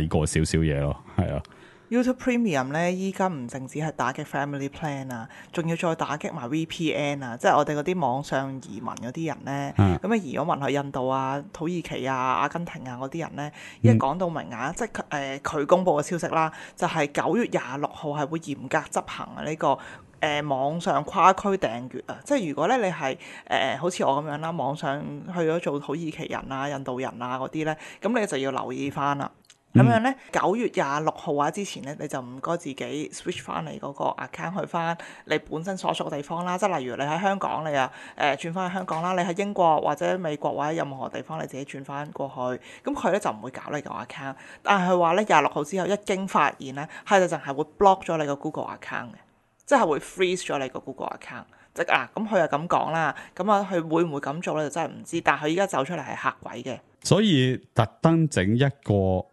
過少少嘢咯，係啊。YouTube Premium 咧，依家唔淨止係打擊 Family Plan 啊，仲要再打擊埋 VPN 啊，即係我哋嗰啲網上移民嗰啲人咧，咁移咗民去印度啊、土耳其啊、阿根廷啊嗰啲人咧，一講到明啊，即係佢公佈嘅消息啦，就係9月26號係會嚴格執行呢個網上跨區訂閱啊，即係如果咧你係好似我咁樣啦，網上去咗做土耳其人啊、印度人啊嗰啲咧，咁你就要留意翻啦。咁樣咧，9月26號啊之前咧，你就唔該自己 switch 翻你嗰個 account 去翻你本身所屬嘅地方啦。即係例如你喺香港，你啊轉翻去香港啦；你喺英國或者美國或者任何地方，你自己轉翻過去。咁佢咧就唔會搞你個 account，但係佢話咧26號之後一經發現咧，係就淨係會 block 咗你個 Google account 嘅，即係會 freeze 咗你個 Google account。即係咁佢又咁講啦，咁啊佢會唔會咁做咧？就真係唔知。但係佢依家走出嚟係嚇鬼嘅，所以特登整一個。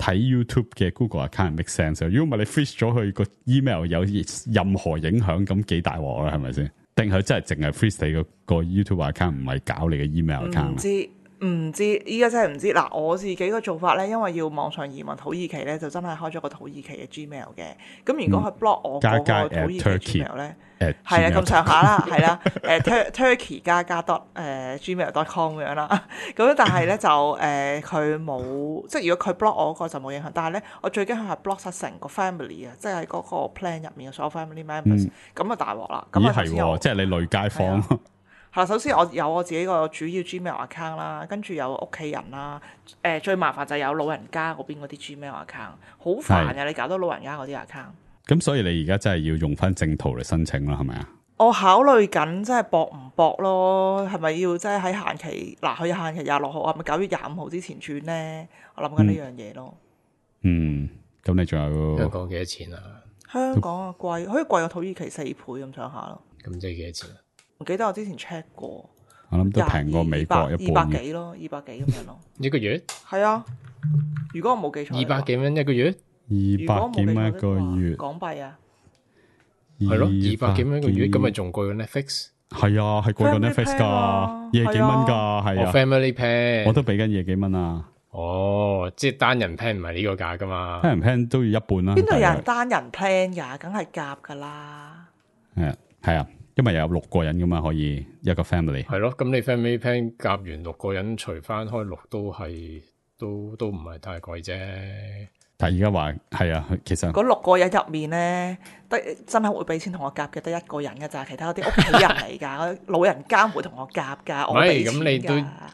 睇 YouTube 嘅 Google account make sense， 如果唔係你 freeze 咗佢個 email 有任何影響，咁幾大鑊啦，係咪先？定係真係淨係 freeze 你個 YouTube account， 唔係搞你嘅 email account？唔知，依家真係唔知。嗱，我自己個做法咧，因為要網上移民土耳其咧，就真係開咗個土耳其嘅 Gmail 嘅。咁如果佢 block 我嗰個土耳其 Gmail 咧，係啊咁上下啦，係啦，Turkey 加 Gmail.com 咁樣啦。咁但係咧就佢冇，即係如果佢 block 我嗰個就冇影響。但係咧，我最驚佢係 block 晒成個 family 啊，即係喺嗰個 plan 入面嘅所有 family members，咁啊大鑊啦。咁係喎，即係你累街坊。係啦，首先我有我自己個主要 Gmail account 啦，跟住有屋企人啦，最麻煩就係有老人家嗰邊嗰啲 Gmail account， 好煩嘅，你搞到老人家嗰啲 account。咁所以你而家真係要用翻正途嚟申請啦，係咪啊？我考慮緊，即係搏唔搏咯？係咪要即係喺限期？嗱，佢限期26號，係咪9月25號之前轉咧？我諗緊呢樣嘢咯。咁你仲有香港幾多錢啊？香港啊貴，可以貴過土耳其4倍咁上下咯。咁即係幾多錢啊？唔記得我之前 check 過，我諗都平過美國一半200幾咯，200幾咁樣咯。一個月？係啊，如果我冇記錯，200幾蚊一個月？200幾蚊一個月港幣啊？係咯，200幾蚊一個月，咁咪仲貴過 Netflix？係啊，係貴過 Netflix 㗎，廿幾蚊㗎，係啊。Family plan 我都俾緊廿幾蚊啊。哦，即係單人 plan 唔係呢個價㗎嘛？單人 plan 都要一半啦。邊度有人單人 plan 㗎？梗係夾㗎啦。係啊。因為有6個人噶嘛，可以一個 family。係咯，咁你 family plan 夾完6個人，除翻開6都唔係太貴啫。但係而家話係啊，其實嗰6個人入面咧，真係會俾錢同我夾嘅，得1個人嘅咋，其他嗰啲屋企人嚟㗎，老人家唔會同我夾㗎。唔係，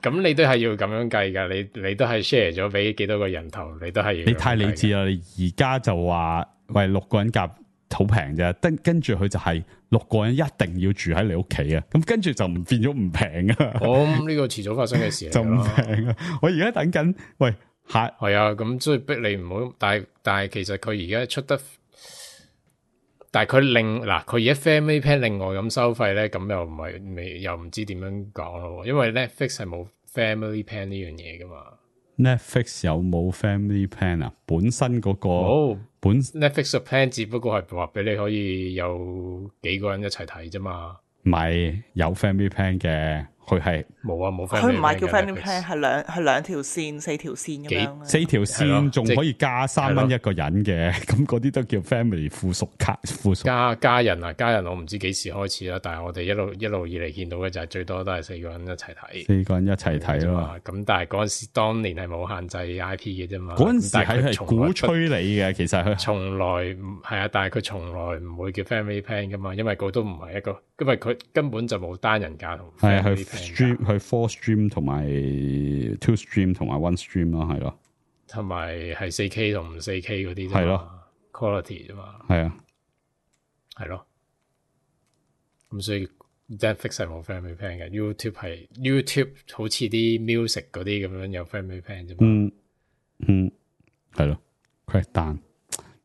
咁你都係要咁樣計㗎，你都係 share 咗俾幾多個人頭，你都係要。你太理智啦！你而家就話喂6個人夾。好平啫，跟住佢就係6個人一定要住喺你屋企啊！咁跟住就唔變咗唔平啊！咁呢個遲早發生嘅事嚟就唔平啊！我而家等緊，喂係啊，咁所以逼你唔好，但係其實佢而家出得，但係佢佢而家 family plan 另外咁收費咧，咁又唔係又唔知點樣講咯，因為 Netflix 係冇 family plan 呢樣嘢噶嘛。Netflix 有冇 family plan 啊？本身嗰個Netflix 嘅 plan 只不過係話俾你可以有幾個人一齊睇啫嘛。唔係有 family plan 嘅，佢係冇啊冇 family，佢唔係叫 family plan plan，係兩條線、4條線咁樣嘅。 4條線仲可以加3蚊係咯一個人嘅，咁嗰啲都叫 family 附屬卡附屬。家人我唔知幾時開始啦，但係我哋一路以嚟見到嘅就係最多都係4個人一齊睇。 4個人一齊睇咯。咁但係嗰陣時當年係冇限制 IP 嘅啫嘛。嗰陣時但係佢係鼓吹你嘅，其實佢從來唔係啊，但係佢從來唔會叫 family plan 噶嘛，因為佢都唔係一個，因為佢根本就冇單人價同係 family 去 plan stream 去 4 stream 同埋2 stream 同埋1 stream 咯，係咯，同埋係 4K 同唔 4K 嗰啲啫嘛，係咯 quality 啫嘛，係啊，係咯。咁所以 Netflix 係冇 family plan 嘅，YouTube 好似啲 music 嗰啲咁樣有 family plan 啫嘛。係咯 ，Crackdown，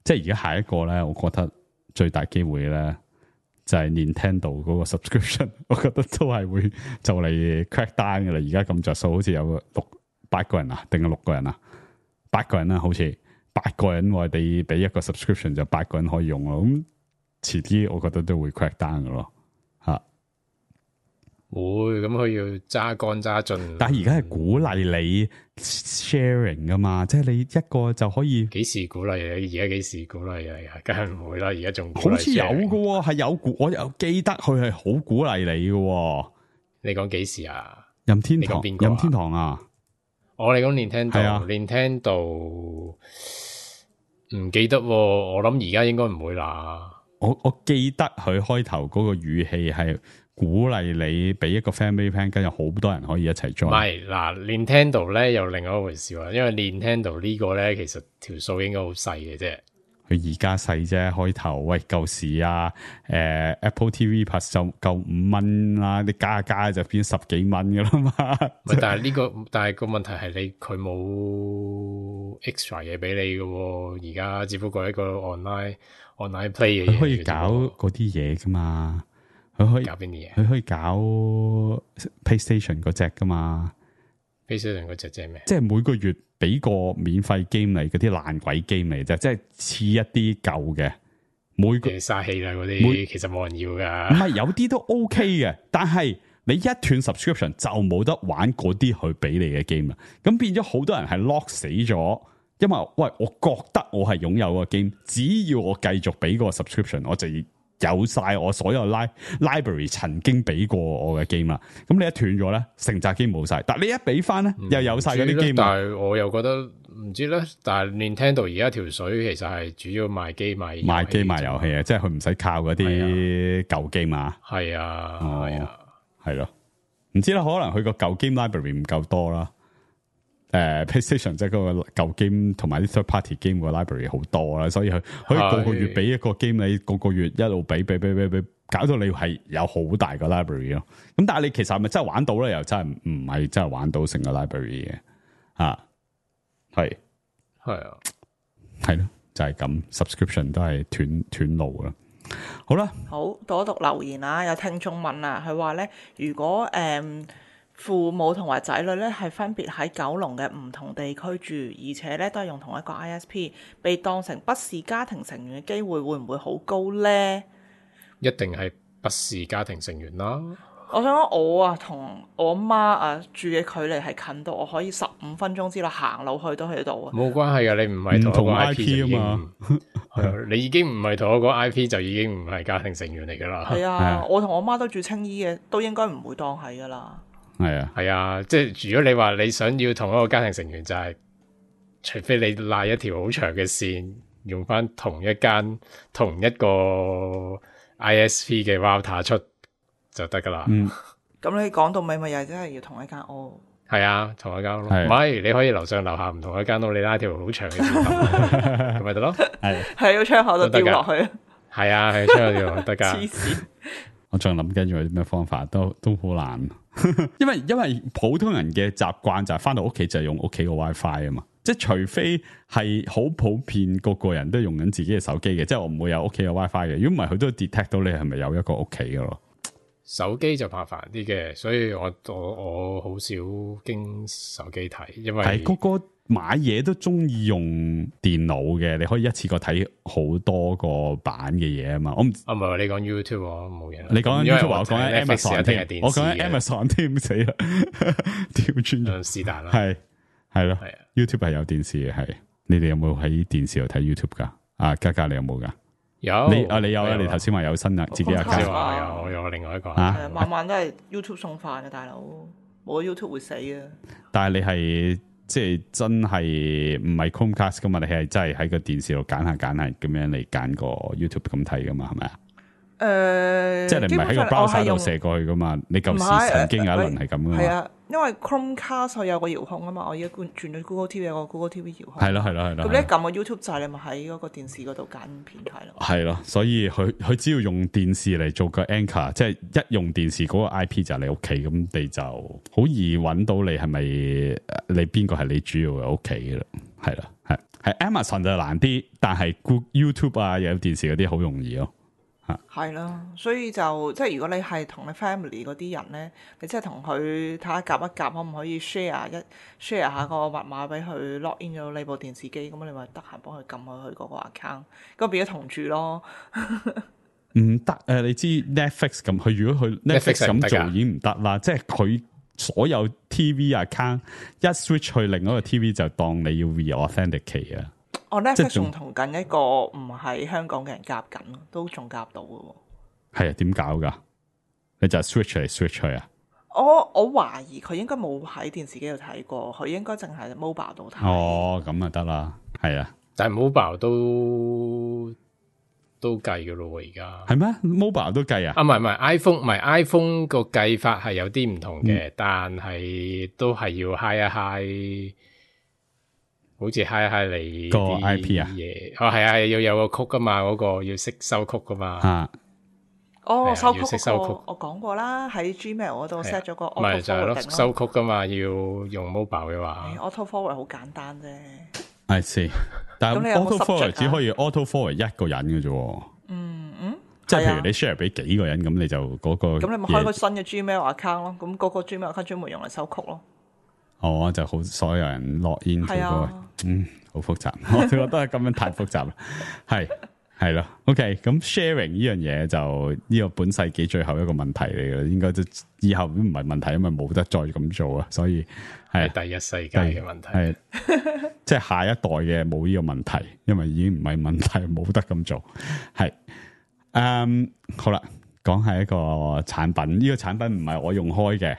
即係而家下一個咧，我覺得最大機會咧就係 Nintendo 嗰個 subscription， 我覺得都係會就嚟 Crackdown 嘅啦。而家咁着數，好似有8個人啊，定係6個人啊？8個人啦，好似8個人我哋俾一個 subscription 就8個人可以用咯。咁遲啲我覺得都會 Crackdown 嘅咯，吓。會咁佢要揸乾揸盡，但係而家係鼓勵你 sharing 噶嘛，即係你一個就可以。幾時鼓勵你？而家幾時鼓勵你啊？梗係唔會啦，而家仲好似有嘅喎，係有我有記得佢係好鼓勵你嘅喎。你講幾時啊？任天堂，你講邊個啊任天堂啊！我哋講 Nintendo，係啊 Nintendo 唔記得喎，我諗而家應該唔會啦。我記得佢開頭嗰個語氣係鼓勵你俾一個 family plan，跟住好多人可以一齊唔 join。係嗱，Nintendo 咧又另外一回事喎，因為 Nintendo 呢個咧其實條數應該好細嘅啫。佢而家細啫，開頭喂舊時啊，Apple TV Plus 就夠5蚊啦，你加就變10幾蚊噶啦嘛。唔係但係個問題係佢冇 extra 嘢俾你嘅喎，而家只不過係一個 online play 嘅嘢。佢可以搞嗰啲嘢噶嘛？佢可以搞邊啲嘢？佢可以搞 PlayStation 嗰隻噶嘛？PlayStation 嗰隻即係咩？即係每個月俾個免費 game 嚟，嗰啲爛鬼 game 嚟啫，即係似一啲舊嘅。每個嘥氣啦，嗰啲其實冇人要噶。唔係有啲都 OK 嘅，但係你一斷 subscription 就冇得玩嗰啲佢俾你嘅 game 啦。咁變咗好多人係 lock 死咗，因為喂，我覺得我係擁有個 game，只要我繼續俾個 subscription， 我就有晒我所有 library 曾經俾過我嘅 game 啦。咁你一斷咗咧，成扎 game 冇晒。但你一俾翻咧，又有晒嗰啲 game。但係我又覺得唔知咧。但係 Nintendo 而家條水其實係主要賣機賣遊戲啊，即係佢唔使靠嗰啲舊 game 啊。係啊，係啊，係咯。唔知啦，可能佢個舊 game library 唔夠多啦。PlayStation 即係嗰個舊 game 同埋啲 third party game 個 library 好多啦，所以佢可以個個月俾一個 game，你個個月一路俾，搞到你係有好大個 library 咯。咁但係你其實係咪真係玩到咧？又真係唔係真係玩到成個 library 嘅吓，係啊，係咯，就係咁 subscription 都係斷路啦。好啦，好讀一讀留言啊，有聽眾問啊，佢話咧，如果父母同埋仔女咧係分別喺九龍嘅唔同地區住，而且咧都係用同一個 ISP， 被當成不是家庭成員嘅機會會唔會好高咧？一定係不是家庭成員啦。我想講我啊同我媽住嘅距離係近到我可以15分鐘之內行路去都去到啊。冇關係㗎，你唔係同一個 IP 啊嘛，你已經唔係同一個 IP 就已經唔係家庭成員嚟㗎啦。係啊，我同我媽都住青衣嘅，都應該唔會當係㗎啦。係啊，即係如果你話你想要同一個家庭成員，就係除非你拉一條好長嘅線，用翻同一個 ISP 嘅 router 出就得噶啦。咁你講到尾咪又係真係要同一間屋？係啊，同一間屋。唔係你可以樓上樓下唔同一間屋，你拉條好長嘅線咁咪得咯。係喺個窗口度掉落去。係啊，喺窗口掉落去得噶。黐線！我仲諗緊有啲咩方法，都好難。因為普通人嘅習慣就係翻到屋企就係用屋企個 WiFi 啊嘛，即係除非係好普遍個個人都用緊自己嘅手機嘅，即係我唔會有屋企嘅 WiFi 嘅。如果唔係，佢都 detect 到你係咪有一個屋企嘅咯。手機就麻煩啲嘅，所以我好少經手機睇，因為係個買嘢都中意用電腦嘅，你可以一次過睇好多個版嘅嘢啊嘛。我唔唔係你講 YouTube 我冇嘢。你講緊 YouTube，我講緊 Amazon 添，添，我講緊 Amazon 添，死啦，調轉咗。是但啦，係咯係啊 ，YouTube 係有電視嘅，係。你哋有冇喺電視度睇 YouTube 噶？啊，嘉嘉你有冇噶？有你有啊？你頭先話有新啊，自己有先加話有另外一個啊？晚晚都係 YouTube 送飯嘅大佬，冇 YouTube 會死啊！但係你係即係真係唔係 Chromecast 噶嘛？你係真係喺個電視度揀下咁樣嚟揀個 YouTube 咁睇噶嘛？係咪啊？即係你唔係喺個 browser 度射過去噶嘛？你舊時曾經有一輪係咁噶嘛？係啊，因為 Chromecast 佢有個遙控啊嘛，我而家轉咗 Google TV 有個 Google TV 遙控。係咯。咁你一撳個 YouTube 掣，你咪喺嗰個電視嗰度揀片睇咯。係咯，所以佢只要用電視嚟做個 anchor，即係一用電視嗰個 IP 就係你屋企，咁你就好易揾到你係咪你邊個係你主要嘅屋企嘅啦。係啦，係 Amazon 就難啲，但係 YouTube 啊有電視嗰啲好容易咯。係咯，所以就即係如果你係同你 family 嗰啲人咧，你即係同佢睇下夾一夾，可唔可以 share 下個密碼俾佢 log in 咗你部電視機，咁你咪得閒幫佢撳去嗰個 account，咁變咗同住咯。唔得你知 Netflix 咁，佢如果佢 Netflix 咁做已經唔得啦，即係佢所有 TV account 一 switch 去另一個 TV 就當你要 re-authenticate 啊。我 Netflix 仲同緊一個唔係香港嘅人夾緊咯，都仲夾到嘅喎。係啊，點搞噶？你就 switch 嚟 switch 去啊？我懷疑佢應該冇喺電視機度睇過，佢應該淨係 mobile 度睇。哦，咁啊得啦，係啊。但係 mobile 都計嘅咯喎，而家係咩 ？mobile 都計啊？唔係 iPhone， 唔係 iPhone 個計法係有啲唔同嘅，但係都係要 high 好似 high 你個 IP 啊嘢，係啊，要有個曲噶嘛，嗰個要識收曲噶嘛。收曲要識收曲，我講過啦，喺 Gmail 嗰度 set 咗個 auto 唔係就係咯， forwarding 收曲噶嘛，要用 mobile 嘅話，auto forward 好簡單啫。I see， 但係 auto forward 只可以 auto forward 一個人嘅啫。即係譬如你 share 俾幾個人，咁你就嗰個咁你咪開個新嘅 Gmail account 咯，咁嗰個 Gmail account 專門用嚟收曲咯。哦，就好，所有人落 in 嗰個，好複雜，我覺得咁樣太複雜啦，係咯 ，OK， 咁 sharing 呢樣嘢就呢個本世紀最後一個問題嚟嘅，應該都以後都唔係問題，因為冇得再咁做啊，所以係第一世界嘅問題，係即係下一代嘅冇呢個問題，因為已經唔係問題，冇得咁做，係，好啦，講下一個產品，呢個產品唔係我用開嘅。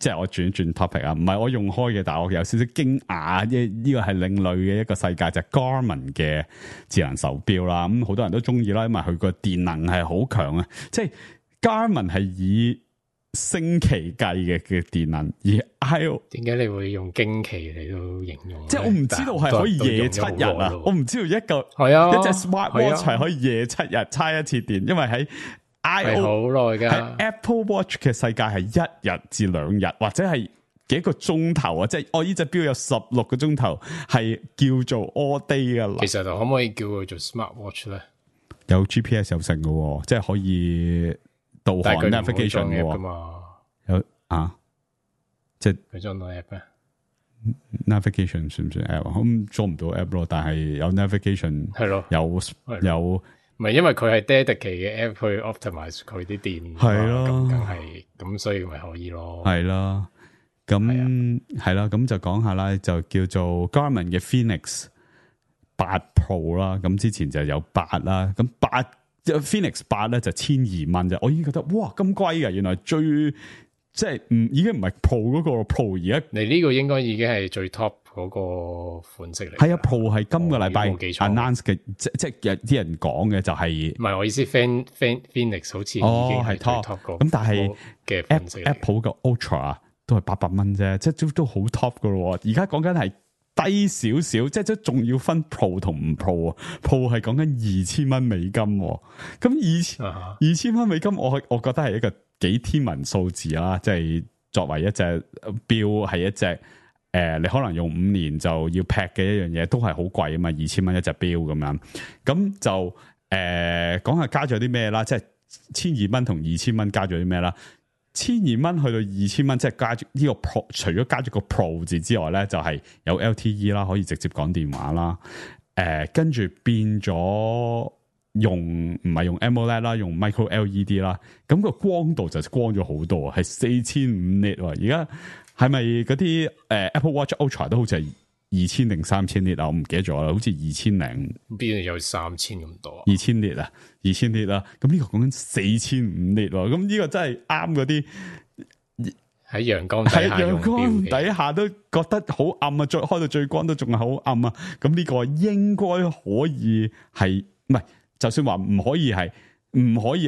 即係我轉 topic 啊，唔係我用開嘅，但係我有少少驚訝，呢個係另類嘅一個世界，就係 Garmin 嘅智能手錶啦。咁好多人都中意啦，因為佢個電能係好強啊。即係 Garmin 係以星期計嘅電能，而點解你會用驚奇嚟到形容？即係我唔知道係可以夜7日啊！我唔知道一隻 smartwatch 係可以夜7日叉一次電，因為喺係好耐噶 ，Apple Watch 嘅世界係1日至2日，或者係幾個鐘頭啊！即係我呢隻錶有16個鐘頭，係叫做 all day 噶啦。其實就可唔可以叫佢做 Smart Watch 咧？有 GPS 有成嘅，即係可以導航 navigation 嘅嘛？有啊，即係佢裝到 app 咩 ？navigation 算唔算 app？咁裝唔到 app 咯，但係有 navigation 係咯，有。唔係因為佢係 dedicate 嘅 app 去 optimize 佢啲電，係咯，咁梗係咁，所以咪可以咯。係啦，咁係啦，咁就講下啦，就叫做 Garmin 嘅 Phoenix 8 Pro 啦。咁之前就有8啦，咁Phoenix 8咧就1200蚊啫。我已經覺得哇咁貴嘅，原來最即係已經唔係 Pro 嗰個 Pro， 而家你呢個應該已經係最 top 嗰個款式嚟。係啊 ，Pro 係今個禮拜 announce 嘅，即有啲人講嘅就係唔係我意思 Phoenix 好似已經係 top 咁，但係嘅款式 Apple 嘅 Ultra 都係800蚊啫，即係都好 top 噶咯。而家講緊係低少少，即係都仲要分 Pro 同唔 Pro 啊。Pro 係講緊2000蚊美金，咁2000蚊美金，我覺得係一個幾天文數字啦。即係作為一隻錶係一隻。你可能用5年就要劈嘅一樣嘢，都係好貴啊嘛，2000蚊一隻錶咁樣。咁就講下加咗啲咩啦，即係1200蚊同2000蚊加咗啲咩啦。1200蚊去到2000蚊，即係加住呢個 Pro， 除咗加咗個 Pro 字之外咧，就係、是、有 LTE 啦，可以直接講電話啦。跟住變咗用唔係用 AMOLED 啦，用 Micro LED 啦。咁個光度就光咗好多，係4500 nit。而家係咪嗰啲Apple Watch Ultra 都好似係2000定3000 nit 啊？我唔記得咗啦，好似2000零邊度有3000咁多？2000 nit 啊，2000 nit 啦。咁呢個講緊4500 nit 喎。咁呢個真係啱嗰啲。喺陽光底下用，陽光底下都覺得好暗啊！再開到最光都仲係好暗啊！咁呢個應該可以係唔係？就算話唔可以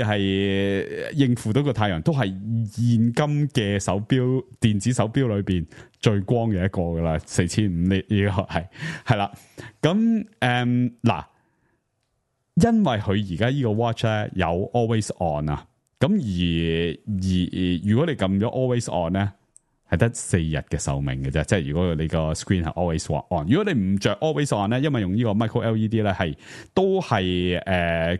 係應付到個太陽，都係現今嘅手錶電子手錶裏邊最光嘅一個噶啦，4500呢個係啦。咁嗱，因為佢而家呢個 watch 咧有 always on 啊。咁而如果你撳咗 always on 咧，係得4日嘅壽命嘅啫。即係如果你個 screen 係 always on，如果你唔着 always on 咧，因為用呢個 micro LED 咧都係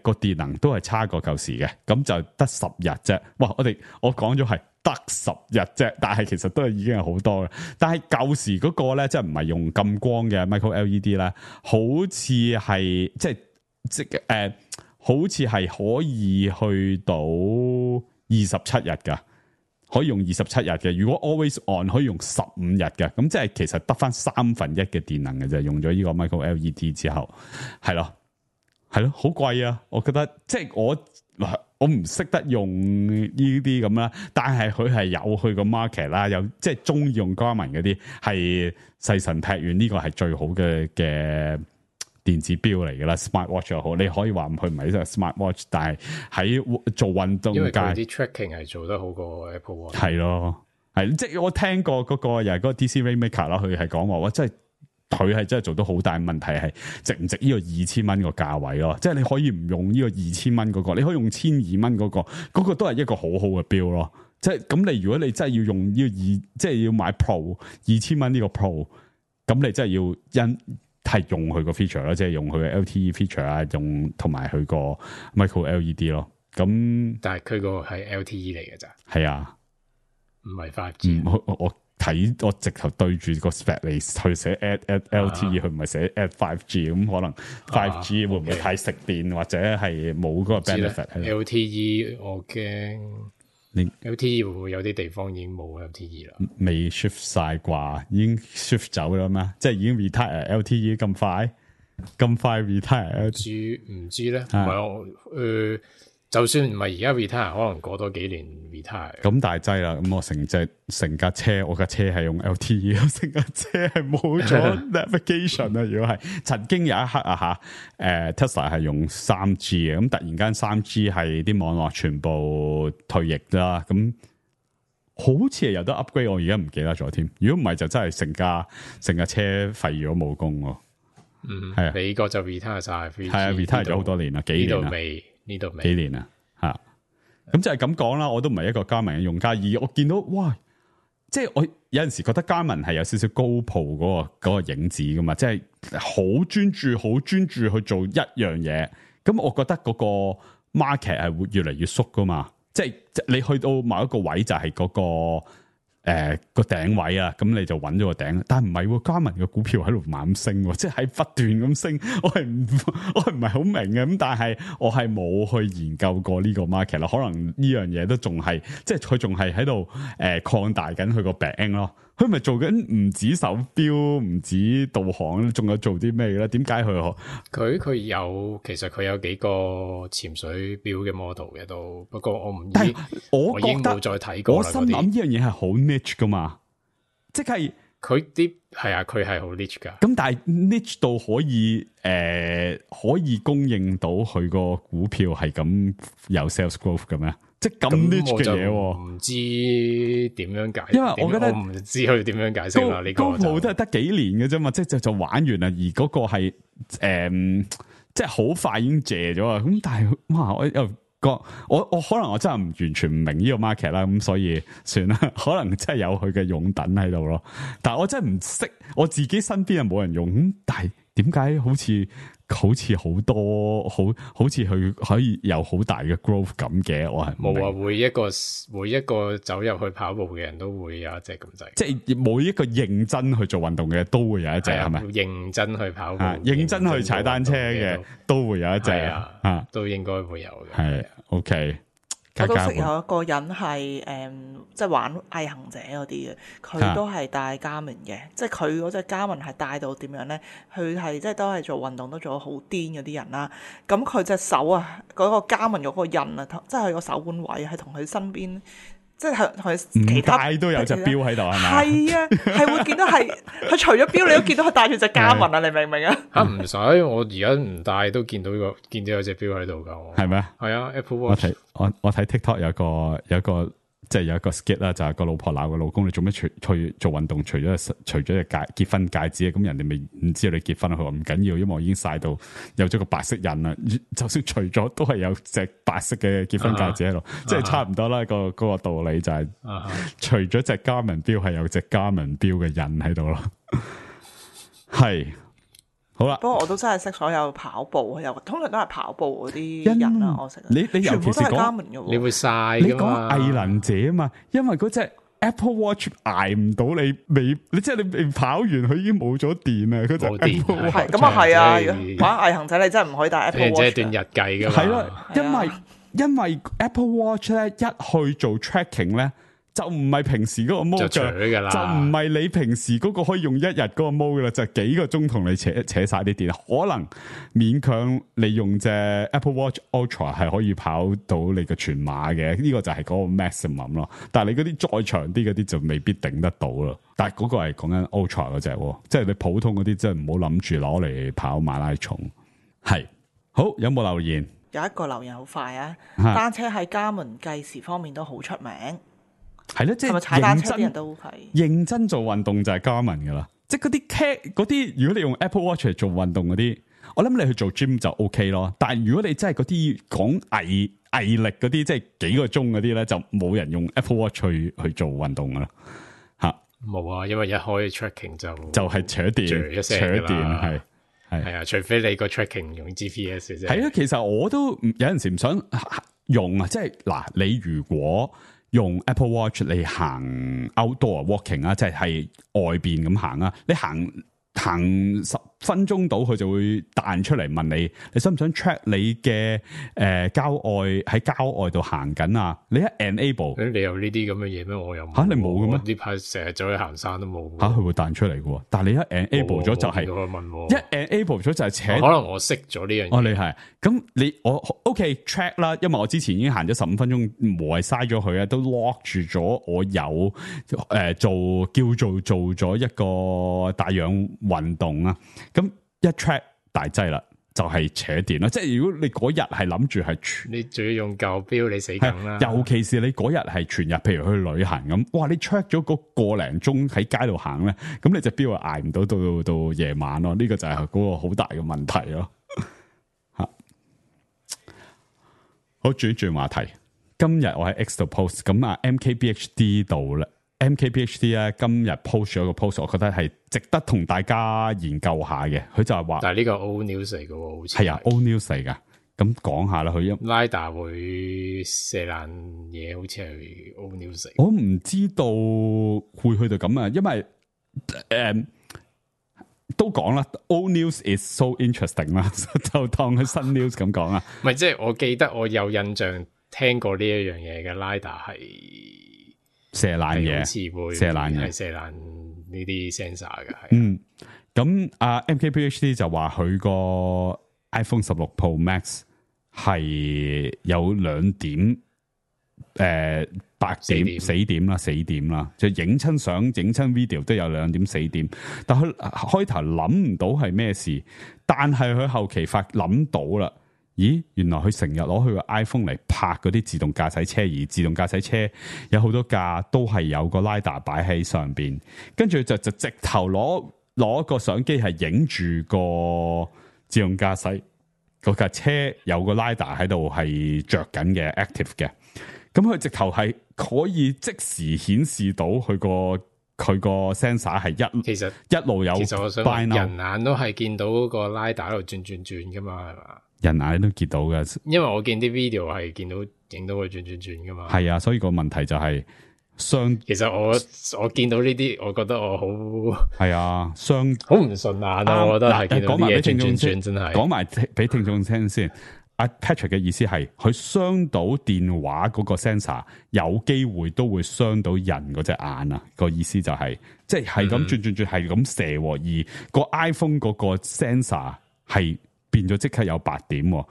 個電能都係差過舊時嘅，咁就得10日啫。哇！我講咗係得10日啫，但係其實都係已經係好多啦。但係舊時嗰個咧，即係唔係用咁光嘅 micro LED 咧，好似係好似係可以去到27日噶，可以用27日嘅。如果 always on 可以用15日嘅，咁即係其實得翻1/3嘅電能嘅啫。用咗呢個 micro LED 之後，係咯，好貴啊！我覺得即係我唔識得用呢啲咁啦，但係佢係有去個 market 啦，有即係中意用 Garmin 嗰啲係細神劈遠，呢個係最好嘅電子錶嚟噶啦 ，Smart Watch 又好，你可以話佢唔係一個 Smart Watch， 但係喺做運動界，因為佢啲 tracking 係做得好過 Apple Watch。係咯，係即係我聽過嗰個又係嗰個 DC Rainmaker 啦，佢係講話哇，真係佢係真係做到好大問題，係值唔值呢個2000蚊個價位咯？即係你可以唔用呢個2000蚊嗰個，你可以用1200蚊嗰個都係一個好好嘅錶咯。即係咁，你如果你真係要用呢個即係要買 Pro 2000蚊呢個 Pro， 咁你真係要係用佢個 feature 咯，即係用佢嘅 LTE feature 啊，用同埋佢個 micro LED 咯。咁但係佢個係 LTE 嚟嘅咋？係啊，唔係 5G。我直頭對住個 spec 嚟去寫 add LTE，佢唔係寫 add 5G， 咁可能 5G 會唔會太食電，或者係冇嗰個 benefit？ LTE 我驚。LTE 會唔會有啲地方已經冇 LTE 啦？未 shift 晒啩，已經 shift 走啦咩？即係已經 retire LTE 咁快 retire LTE？ 唔知咧，唔係就算唔係而家 retire， 可能過多幾年 retire。咁大劑啦，咁我成架車，我架車係用 LTE， 成架車係冇咗 navigation 啊！如果係曾經有一刻啊Tesla 係用 3G 嘅，咁突然間 3G 係啲網絡全部退役啦，咁好似係有得 upgrade， 我而家唔記得咗添。如果唔係就真係成架車廢咗冇功喎。係啊，美國就 retire 晒，係啊 retire 咗好多年啦，幾年啦。呢度未幾年啊吓，咁就係咁講啦。我都唔係一個Garmin嘅用家，而我見到哇，即係我有陣時覺得Garmin係有少少GoPro嗰個影子噶嘛，即係好專注去做一樣嘢。咁我覺得嗰個 market 係會越嚟越縮噶嘛，即係你去到某一個位就係嗰個個頂位啊，咁你就揾咗個頂，但係唔係Garmin嘅股票喺度猛升，即係不斷咁升，我係唔係好明嘅，咁但係我係冇去研究過呢個 market 啦，可能呢樣嘢都仲係，即係佢仲係喺度擴大緊佢個餅咯，佢咪做緊唔止手錶，唔止導航，仲有做啲咩咧？點解佢有其實佢有幾個潛水錶嘅 model 嘅都，不過我已經冇再睇過啦。我心諗呢樣嘢係好 niche 噶嘛，即係佢啲係啊，佢係好 niche 噶。咁但係 niche 到可以供應到佢個股票係咁有 sales growth 嘅咩？即係咁 niche 嘅嘢，唔知點樣解釋，因為我覺得我唔知佢點樣解釋啦。呢個都係得幾年嘅啫嘛，即係就玩完啦。而嗰個係即係好快已經謝咗啊！咁但係哇，我又我可能我真係完全唔明呢個 market 啦，咁所以算啦。可能真係有佢嘅擁躉喺度咯，但係我真係唔識，我自己身邊又冇人用，咁但係點解好似好似好多好似佢可以有好大嘅 growth 咁嘅，我係冇啊！每一個走入去跑步嘅人都會有一隻咁滯，即係每一個認真去做運動嘅都會有一隻，係咪？認真去跑步、認真去踩單車嘅都會有一隻啊，都應該會有嘅。係 OK。我都識有一個人係即係玩毅行者嗰啲嘅，佢都係帶Garmin嘅，即係佢嗰隻Garmin係帶到點樣咧？佢係即係都係做運動都做得好癲嗰啲人啦。咁佢隻手啊，嗰個Garmin嗰個印啊，即係佢個手腕位係同佢身邊。即係同佢其他都有隻錶喺度係咪？係啊，係會見到係佢除咗錶，你都見到佢帶住隻Garmin啊！你明唔明啊？唔使，我而家唔帶都見到有隻錶喺度噶，係咪？係啊 ，Apple Watch。我睇 TikTok 有一個即係有一個 skit 啦，就係個老婆鬧個老公，你做咩去做運動？除咗隻結婚戒指，咁人哋咪唔知道你結婚。佢話唔緊要，因為我已經曬到有咗個白色印啦。就算除咗，都係有隻白色嘅結婚戒指喺度，即係差唔多啦。嗰個道理就係，除咗隻Garmin錶係有隻Garmin錶嘅印喺度咯。係。好啦，不過我都真係識所有跑步，又通常都係跑步嗰啲人啊，我識。你尤其是你會晒你講藝能者啊嘛，因為嗰隻 Apple Watch 捱唔到你即係你未跑完，佢已經冇咗電啊！嗰隻 Apple Watch 係咁啊，係啊，玩毅行者你真係唔可以帶 Apple Watch。即係段日計噶嘛。係咯，因為 Apple Watch 咧一去做 tracking 咧。就唔係平時嗰個 mode 就唔係你平時嗰個可以用一日嗰個 mode 噶啦，就係幾個鐘同你扯晒啲電，可能勉強你用隻 Apple Watch Ultra 係可以跑到你嘅全馬嘅，呢個就係嗰個 maximum 咯。但係你嗰啲再長啲嗰啲就未必頂得到咯。但係嗰個係講緊 Ultra 嗰隻，即係你普通嗰啲真係唔好諗住攞嚟跑馬拉松。係好，有冇留言？有一個留言好快啊！單車喺Garmin計時方面都好出名。係咯，即係踩單車啲人都係認真做運動就係Garmin噶啦，即係嗰啲 cat 嗰啲，如果你用 Apple Watch 嚟做運動嗰啲，我諗你去做 gym 就 OK 咯。但係如果你真係嗰啲講毅力嗰啲，即係幾個鐘嗰啲咧，就冇人用 Apple Watch 去做運動噶啦。吓，冇啊，因為一開 tracking 就係扯電，扯電係啊，除非你個 tracking 用 GPS 啫。係啊，其實我都有陣時唔想用啊，即係嗱，你如果用 Apple Watch 你行 outdoor walking 啊，即係外邊咁行啊，你行10分鐘到，佢就會彈出嚟問你，你想唔想 track 你嘅喺郊外度行緊啊？你一 enable， 你有呢啲咁嘅嘢咩？我有吓，你冇嘅咩？呢排成日走去行山都冇吓，佢會彈出嚟嘅。但係你一 enable 咗就係一 enable 咗就係扯。可能我識咗呢樣嘢。哦，你係咁我 OK track 啦，因為我之前已經行咗15分鐘，無謂嘥咗佢啊，都 lock 住咗我有叫做咗一個帶氧運動啊。咁一 track 大劑啦，就係扯電啦。即係如果你嗰日係諗住係你仲要用舊錶，你死梗啦。尤其是你嗰日係全日，譬如去旅行咁，哇！你 track 咗嗰個零鐘喺街度行咧，咁你隻錶係捱唔到夜晚咯。呢個就係嗰個好大嘅問題咯。吓，好，轉話題。今日我喺 X 度 post，咁啊 MKBHD 度咧。MKBHD 咧今日 post 咗個 post， 我覺得係值得同大家研究下嘅。佢就係話，但係呢個 old news 嚟嘅，好似係啊 old news 嚟噶。咁講下啦，佢LiDAR 會射爛嘢，好似係 old news。我唔知道會去到咁啊，因為都講啦 ，old news is so interesting 啦，就當佢新 news 咁講啊。唔係，即係我記得我有印象聽過呢一樣嘢嘅 LiDAR 係。射爛嘢，射爛嘢，係射爛呢啲 sensor 嘅。咁MKBHD 就話佢個 iPhone 16 Pro Max 係有2點白點死點啦，就影親相、影親 video 都有2點死點。但佢開頭諗唔到係咩事，但係佢後期諗到啦。咦，原來佢成日攞佢個 iPhone 嚟拍嗰啲自動駕駛車，而自動駕駛車有好多架都係有個 LiDAR 擺喺上邊，跟住就直頭攞個相機係影住個自動駕駛嗰架車有個 LiDAR 喺度係着緊嘅 active 嘅，咁佢直頭係可以即時顯示到佢個佢個 sensor 係其實一路有其實我想話 bino 人眼都係見到嗰個 LiDAR 喺度轉噶嘛，係嘛？人眼都見到嘅，因為我見啲 video 係見到影到佢轉噶嘛。係啊，所以個問題就係其實我見到呢啲，我覺得我好係啊，好唔順眼啊！我覺得係見到啲嘢轉真係。講埋俾聽眾聽先。阿 Patrick 嘅意思係，佢傷到電話嗰個 sensor， 有機會都會傷到人嗰隻眼啊！個意思就係、即係咁轉，係咁射，而個 iPhone 嗰個 sensor 係變咗即刻有白點，嗰、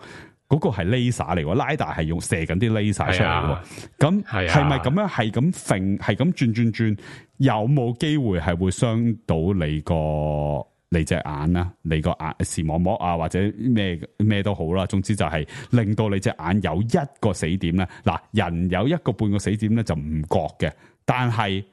個係 laser 嚟，LiDAR 係用射緊啲 laser 出嚟嘅。咁係咪咁樣係咁揈，係咁轉，有冇機會係會傷到你隻眼啊，你個眼視網膜啊，或者咩都好啦，總之就係令到你隻眼有一個死點咧。嗱，人有一個半個死點咧就唔覺嘅，但係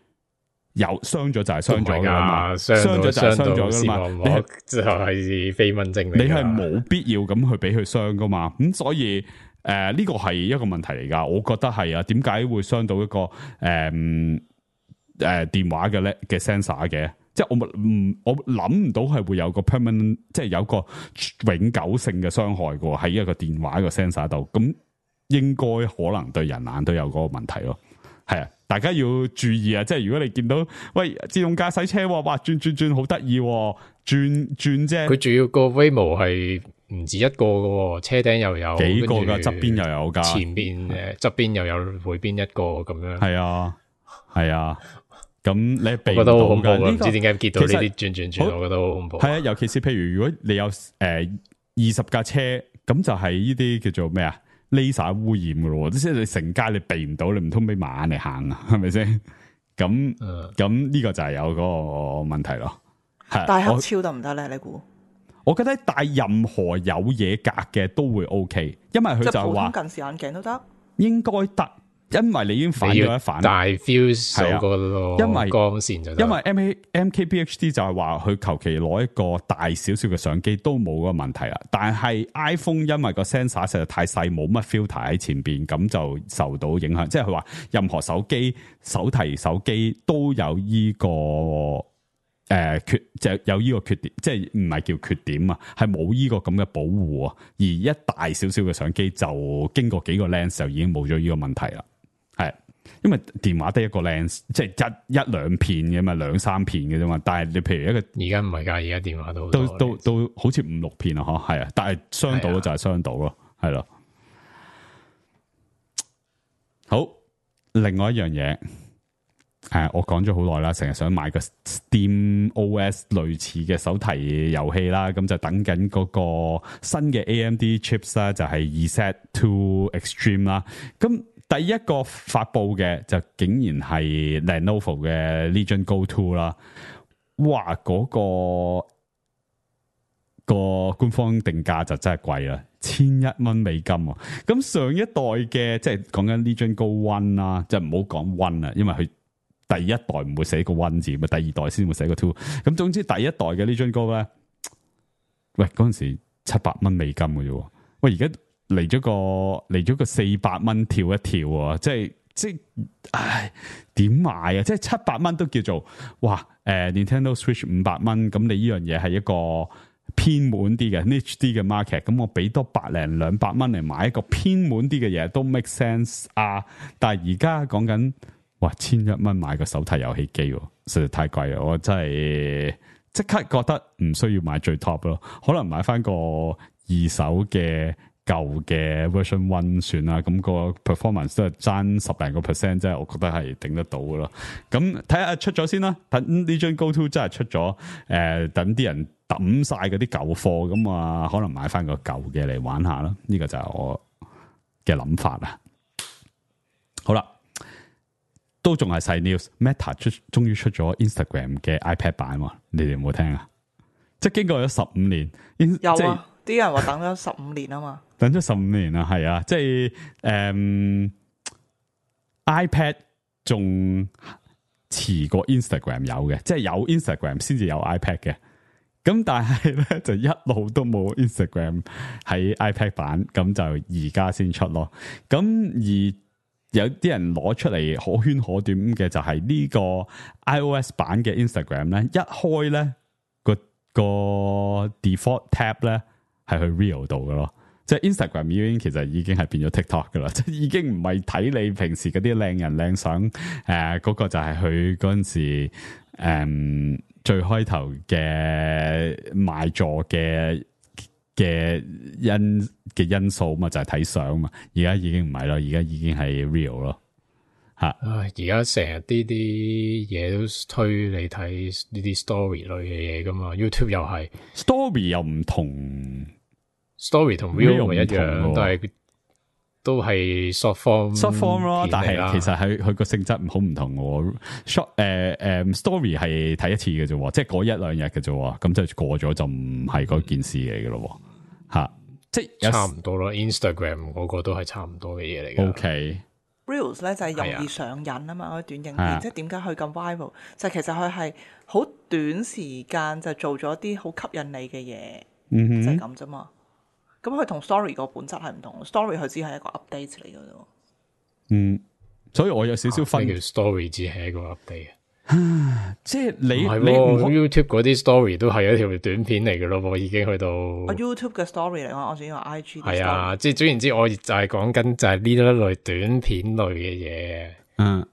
有傷咗就係傷咗噶啦嘛，傷咗就係傷咗噶啦嘛。你就係飛蚊症嚟，你係冇必要咁去俾佢傷噶嘛。咁所以呢個係一個問題嚟噶，我覺得係啊。點解會傷到一個電話嘅 sensor 嘅？即係我諗唔到係會有個 permanent， 即係有個永久性嘅傷害嘅喺一個電話個 sensor 度，咁應該可能對人眼都有嗰個問題咯。係啊，大家要注意啊！即係如果你見到喂自動駕駛車，哇轉好得意，轉啫。佢主要個 Waymo 係唔止一個嘅，車頂又有幾個噶，側邊又有噶，前邊側邊又有每邊一個咁樣。係啊。咁你避唔到到㗎？唔呢知點解見到呢啲轉，我覺得好恐怖。係啊，尤其是譬如如果你有20架車，咁就係呢啲叫做咩啊？laser 污染㗎咯，即係你成街你避唔到，你唔通俾馬眼嚟行啊？係咪先？咁呢個就係有嗰個問題咯。係戴黑超得唔得咧？你估？我覺得戴任何有嘢隔嘅都會 OK， 因為佢就係話近視眼鏡都得，應該得。因為你已經反咗一反，大 fuse 嗰個因為光線就因為 MKBHD 就係話佢求其攞一個大少少嘅相機都冇嗰個問題啦，但係 iPhone 因為個 sensor 實在太細，冇乜 filter 喺前邊，咁就受到影響。即係佢話任何手提手機都有呢個就有呢個缺點，即係唔係叫缺點啊，係冇呢個咁嘅保護啊。而一大少少嘅相機就經過幾個 lens 就已經冇咗呢個問題啦。係，因為電話得一個 lens， 即係一兩片嘅嘛，2-3片嘅啫嘛。但係你譬如一個而家唔係㗎，而家電話都好似5-6片啊，嗬，係啊。但係傷到就係傷到咯，係咯。好，另外一樣嘢，我講咗好耐啦，成日想買個 Steam OS 類似嘅手提遊戲啦，咁就等緊嗰個新嘅 AMD chips 啦，就係 Z2 Extreme 啦，咁。第一個發佈嘅就竟然係 Lenovo 嘅 Legion Go 2啦，哇！嗰個官方定價就真係貴啦，$1,000喎。咁上一代嘅即係講緊 Legion Go 1啦，即係唔好講 1啦，因為佢第一代唔會寫個 1字，咪第二代先會寫個 2。咁總之第一代嘅 Legion Go 咧，喂嗰陣時$700嘅啫，喂而家。嚟咗個$400跳一跳啊！即係，唉，點買啊？即係$700都叫做哇！Nintendo Switch $500，咁你呢樣嘢係一個偏門啲嘅 niche 啲嘅 market，咁我俾多$100-200嚟買一個偏門啲嘅嘢都 make sense 啊！但係而家講緊哇$1,000買個手提遊戲機，實在太貴啦！我真係即刻覺得唔需要買最 top 咯，可能買翻個二手嘅。舊嘅 version 1算啦，咁個 performance 都係爭10零個%，即係我覺得係頂得到嘅咯。咁睇下出咗先啦，等呢張 Go 2真係出咗，等啲人抌晒嗰啲舊貨，咁啊可能買翻個舊嘅嚟玩下啦。呢個就係我嘅諗法啦。好啦，都仲係細 news，Meta 終於出咗 Instagram 嘅 iPad 版喎，你哋有冇聽啊？即係經過咗15年，有啊，啲人話等咗15年啊嘛。等咗15年啊，係啊，即係iPad 仲遲過 Instagram 有嘅，即係有 Instagram 先至有 iPad 嘅。咁但係咧就一路都冇 Instagram 喺 iPad 版，咁就而家先出咯。咁而有啲人攞出嚟可圈可點嘅就係呢個 iOS 版嘅 Instagram 咧，一開咧個 default tab 咧係去 Reel 度嘅咯。即係 Instagram 已經係變咗 TikTok 噶啦，即係已經唔係睇你平時嗰啲靚人靚相，嗰個就係佢嗰陣時最開頭嘅賣座嘅因素嘛，就係睇相嘛。而家已經唔係咯，而家已經係 Real 咯吓。而家成日啲嘢都推你睇呢啲 story 類嘅嘢噶嘛 ，YouTube 又係 story 又唔同。story 同 real 咪一樣，都係 short form 咯，但係其實佢個性質好唔同嘅。story 係睇一次嘅啫，即係嗰一兩日嘅啫，咁就過咗就唔係嗰件事嚟嘅咯。吓，即係差唔多咯。Instagram 嗰個都係差唔多嘅嘢嚟嘅。OK。Reels 咧就係容易上癮啊嘛，嗰啲短影片，即係點解佢咁 viral？就其實佢係好短時間就做咗啲好吸引你嘅嘢，就係咁啫嘛。咁佢同 story 個本質係唔同 ，story 佢只係一個 update 嚟嘅啫。所以我有少少分叫 story 只係一個 update。即係你 YouTube 嗰啲 story 都係一條短片嚟嘅咯，已經去到。YouTube 嘅 story 嚟講，我仲要話 IG。係啊，即係總言之，我就係講緊就係呢一類短片類嘅嘢。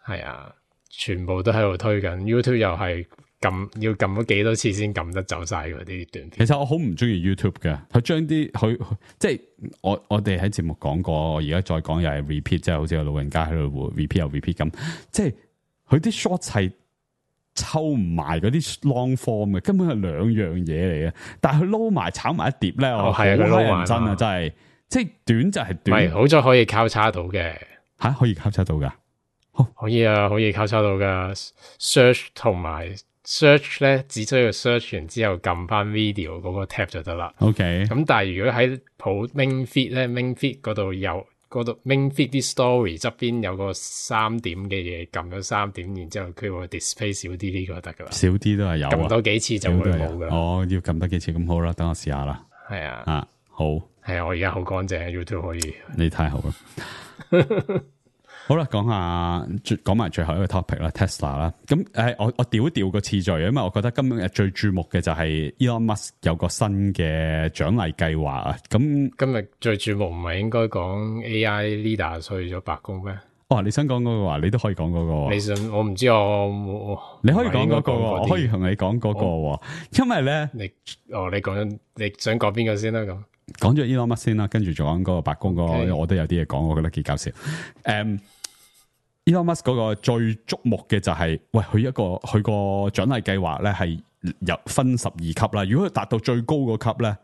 係啊，全部都喺度推緊 YouTube 又係。要撳咗幾多次先撳得走晒嗰啲短片？其實我好唔中意 YouTube 嘅，佢將啲佢即係我哋喺節目講過，我而家再講又係 repeat，即係好似個老人家喺度 repeat 又 repeat 咁，即係佢啲 short 係抽唔埋嗰啲 long form 嘅，根本係兩樣嘢嚟嘅。但係佢撈埋炒埋一碟咧，我好認真啊，真係即係短就係短。係好在可以交叉到嘅吓，可以交叉到噶，可以啊，可以交叉到噶 search 同埋。search 咧，只需要 search 完之後撳翻 video 嗰個 tab 就得啦。OK。咁但係如果喺main feed 咧 ，main feed 嗰度main feed 啲 story 側邊有個3點嘅嘢，撳咗3點，然之後佢會 display 少啲呢個就得噶啦。少啲都係有。撳多幾次就會冇噶啦。哦，要撳多幾次咁好啦，等我試下啦。係啊。好。係啊，我而家好乾淨 YouTube 可以。你太好啦。好啦，講埋最後一個 topic 啦 ，Tesla 啦。咁我調一調個次序，因為我覺得今日最注目嘅就係 Elon Musk 有個新嘅獎勵計劃啊。咁今日最注目唔係應該講 AI leader 去咗白宮咩？哦，你想講嗰個話，你都可以講嗰個。你想我唔知你可以講嗰個，我可以同你講嗰個。因為咧，你想講邊個先啦？咁講咗 Elon Musk 先啦，跟住仲講嗰個白宮嗰個，我都有啲嘢講，我覺得幾搞笑。Elon Musk 嗰個最矚目嘅就係，喂，佢個獎勵計劃咧係有分12級啦。如果佢達到最高個級咧，